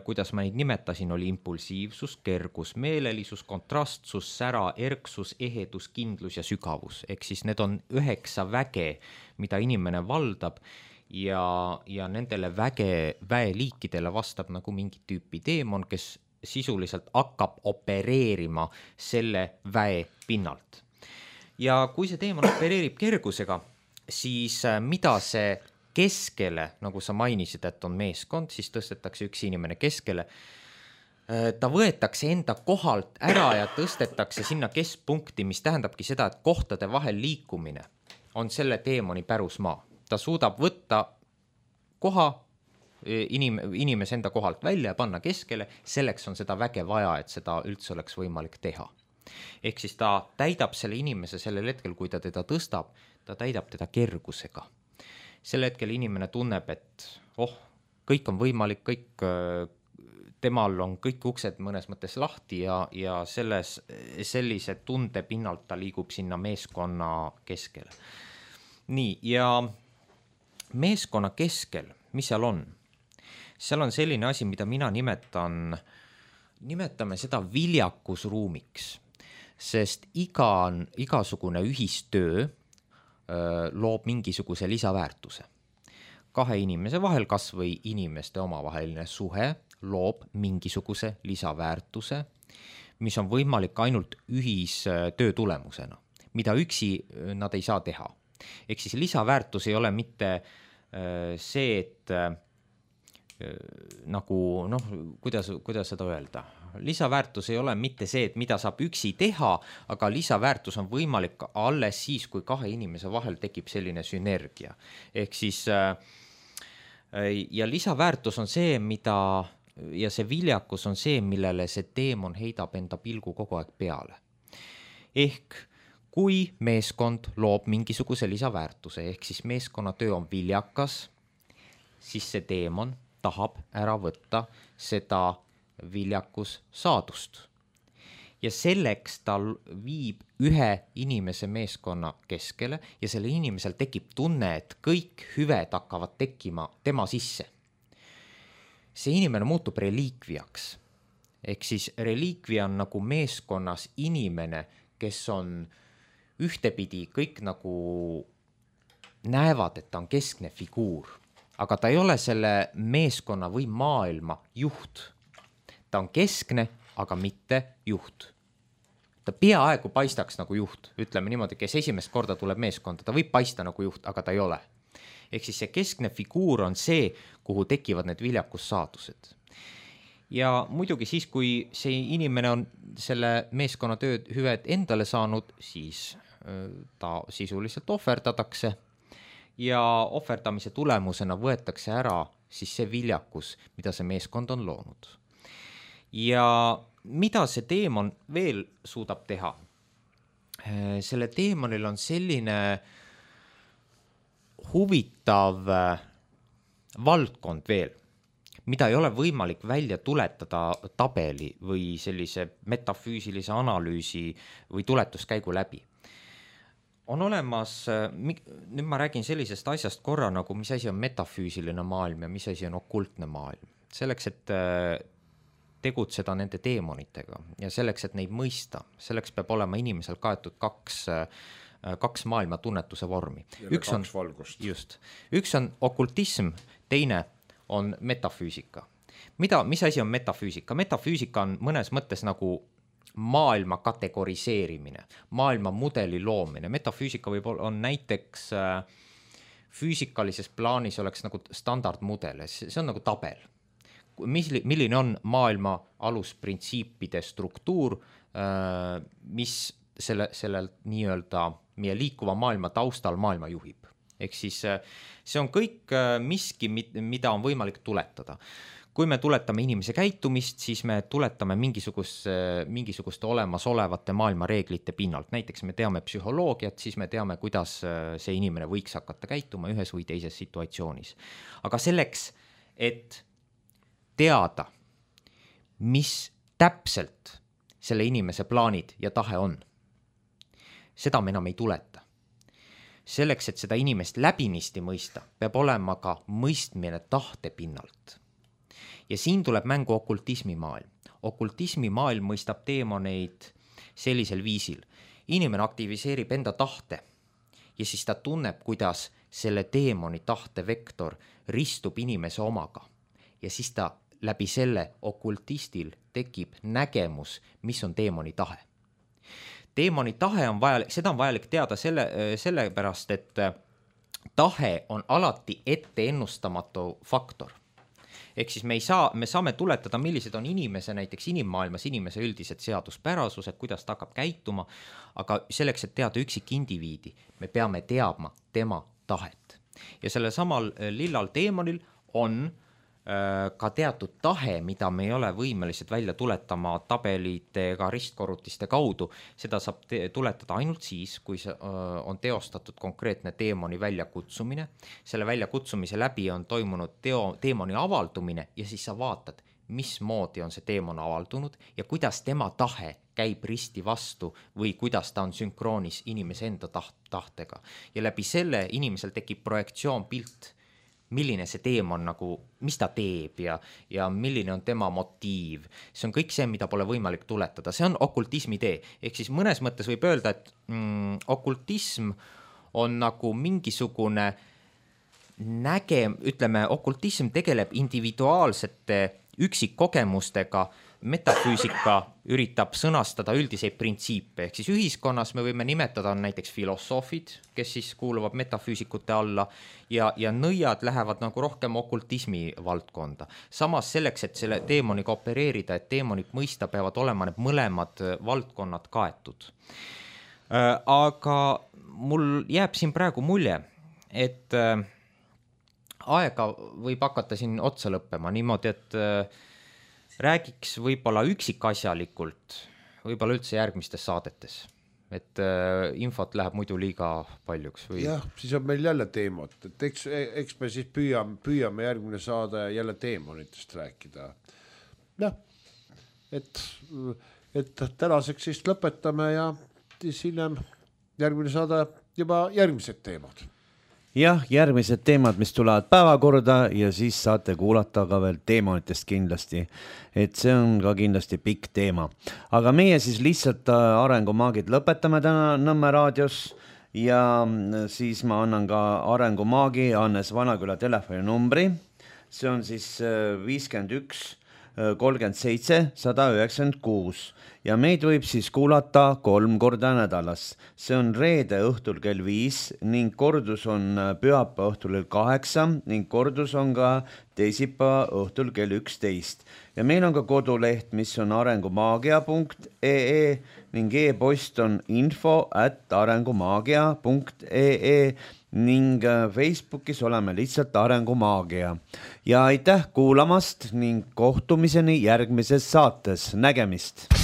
Kuidas ma neid nimetasin, oli impulsiivsus, kergus, meelelisus, kontrastsus, sära, erksus, ehedus, kindlus ja sügavus. Ehk siis need on 9 väge, mida inimene valdab ja nendele väeliikidele vastab nagu mingi tüüpi teemon, kes sisuliselt hakkab opereerima selle väe pinnalt. Ja kui see teemon opereerib kergusega, siis mida see keskele, nagu sa mainisid, et on meeskond, siis tõstetakse üks inimene keskele. Ta võetakse enda kohalt ära ja tõstetakse sinna keskpunkti, mis tähendabki seda, et kohtade vahel liikumine on selle teemoni pärusmaa. Ta suudab võtta koha inimese enda kohalt välja ja panna keskele, selleks on seda väge vaja, et seda üldse oleks võimalik teha. Ehk siis ta täidab selle inimese sellel hetkel, kui ta teda tõstab, ta täidab teda kergusega. Sel hetkel inimene tunneb, et kõik on võimalik, temal on kõik uksed mõnes mõttes lahti ja sellise tunde pinnalt ta liigub sinna meeskonna keskele. Nii, ja meeskonna keskel, mis seal on? Seal on selline asi, mida mina nimetame seda viljakusruumiks, sest igasugune ühistöö loob mingisuguse lisaväärtuse. 2 inimese vahel, kas või inimeste omavaheline suhe, loob mingisuguse lisaväärtuse, mis on võimalik ainult ühistöö tulemusena, mida üksi nad ei saa teha. Ehk siis lisaväärtus ei ole mitte see, et nagu, kuidas seda öelda? Lisaväärtus ei ole mitte see, et mida saab üksi teha, aga lisaväärtus on võimalik alles siis, kui 2 inimese vahel tekib selline sünergia. Ehk siis, ja lisaväärtus on see, ja see viljakus on see, millele see teemon heidab enda pilgu kogu aeg peale. Ehk kui meeskond loob mingisuguse lisaväärtuse, ehk siis meeskonnatöö on viljakas, siis see teemon tahab ära võtta seda viljakus saadust. Ja selleks ta viib ühe inimese meeskonna keskele ja selle inimesel tekib tunne, et kõik hüved hakkavad tekkima tema sisse. See inimene muutub reliikviaks. Ehk siis reliikvia on nagu meeskonnas inimene, kes on ühtepidi kõik nagu näevad, et ta on keskne figuur. Aga ta ei ole selle meeskonna või maailma juht. Ta on keskne, aga mitte juht. Ta peaaegu paistaks nagu juht, ütleme niimoodi, kes esimest korda tuleb meeskonda, ta võib paista nagu juht, aga ta ei ole. Ehk siis see keskne figuur on see, kuhu tekivad need viljakussaadused. Ja muidugi siis, kui see inimene on selle meeskonna tööd hüved endale saanud, siis ta sisuliselt ohverdatakse. Ja ohverdamise tulemusena võetakse ära siis see viljakus, mida see meeskond on loonud. Ja mida see teemon veel suudab teha? Selle teemonil on selline huvitav valdkond veel, mida ei ole võimalik välja tuletada tabeli või sellise metafüüsilise analüüsi või tuletuskäigu läbi. On olemas, nüüd ma räägin sellisest asjast korra, nagu mis asi on metafüüsiline maailm ja mis asi on okultne maailm. Selleks, et tegutseda nende teemonitega ja selleks, et neid mõista, selleks peab olema inimesel kaetud kaks maailma tunnetuse vormi. Üks on valgust. Just. Üks on okultism, teine on metafüüsika. Mis asi on metafüüsika? Metafüüsika on mõnes mõttes nagu maailma kategoriseerimine, maailma mudeli loomine. Metafüüsika on näiteks füüsikalises plaanis oleks nagu standardmudel, see on nagu tabel. Milline on maailma alusprintsiipide struktuur, mis sellel nii-öelda meie liikuva maailma taustal maailma juhib. Ehk siis see on kõik miski, mida on võimalik tuletada. Kui me tuletame inimese käitumist, siis me tuletame mingisuguste olemasolevate maailma reeglite pinnalt. Näiteks me teame psühholoogiat, siis me teame, kuidas see inimene võiks hakata käituma ühes või teises situatsioonis. Aga selleks, et teada, mis täpselt selle inimese plaanid ja tahe on, seda me enam ei tuleta. Selleks, et seda inimest läbinisti mõista, peab olema ka mõistmine tahte pinnalt. Ja siin tuleb mängu okultismi maailm. Okultismi maailm mõistab teemoneid sellisel viisil. Inimene aktiviseerib enda tahte ja siis ta tunneb, kuidas selle teemoni tahte vektor ristub inimese omaga. Ja siis ta läbi selle okultistil tekib nägemus, mis on teemoni tahe. Teemoni tahe on vajalik, seda on vajalik teada sellepärast, et tahe on alati ette ennustamatu faktor. Ehk siis me saame tuletada, millised on näiteks inimmaailmas inimese üldised seaduspärasused, kuidas ta hakkab käituma, aga selleks, et teada üksik indiviidi, me peame teadma tema tahet. Ja selle samal lillal teemonil on ka teatud tahe, mida me ei ole võimelised välja tuletama tabelite ega ristkorrutiste kaudu. Seda saab tuletada ainult siis, kui on teostatud konkreetne teemoni väljakutsumine. Selle väljakutsumise läbi on toimunud teemoni avaldumine ja siis sa vaatad, mismoodi on see teemon avaldunud ja kuidas tema tahe käib risti vastu või kuidas ta on sünkroonis inimese enda tahtega. Ja läbi selle inimesel tekib projektsioon pilt, milline see teemon nagu, mis ta teeb ja milline on tema motiiv. See on kõik see, mida pole võimalik tuletada. See on okultismi tee. Ehk siis mõnes mõttes võib öelda, et okultism on nagu mingisugune okultism tegeleb individuaalsete üksikkogemustega, metafüüsika üritab sõnastada üldiseid printsiipe, ehk siis ühiskonnas me võime nimetada näiteks filosoofid, kes siis kuuluvad metafüüsikute alla ja nõiad lähevad nagu rohkem okultismi valdkonda. Samas selleks, et selle teemoniga opereerida, et teemonit mõista, peavad olema need mõlemad valdkonnad kaetud. Aga mul jääb siin praegu mulje, et aega võib hakata siin otsa lõppema niimoodi, et räägiks võib-olla üksikasjalikult, võib-olla üldse järgmistes saadetes, et infot läheb muidu liiga paljuks. Jah, siis on meil jälle teemad, et eks me siis püüame järgmine saade jälle teemonitest rääkida. Jah, et tänaseks siis lõpetame ja siis hiljem järgmine saade juba järgmised teemad. Jah, järgmised teemad, mis tulevad päevakorda ja siis saate kuulata ka veel teemonitest kindlasti, et see on ka kindlasti pikk teema. Aga meie siis lihtsalt arengumaagid lõpetame täna Nõmme raadios ja siis ma annan ka arengumaagi Hannes Vanaküla telefoninumbri. See on siis 51 37 196 ja meid võib siis kuulata 3 korda nädalas. See on reede õhtul kell 5 ning kordus on pühapäeva õhtul kell 8 ning kordus on ka teisipäeva õhtul kell 11. Ja meil on ka koduleht, mis on arengumaagia.ee ning e-post on info@arengumaagia.ee ning Facebookis oleme lihtsalt Arengumaagia. Ja aitäh kuulamast ning kohtumiseni järgmises saates. Nägemist!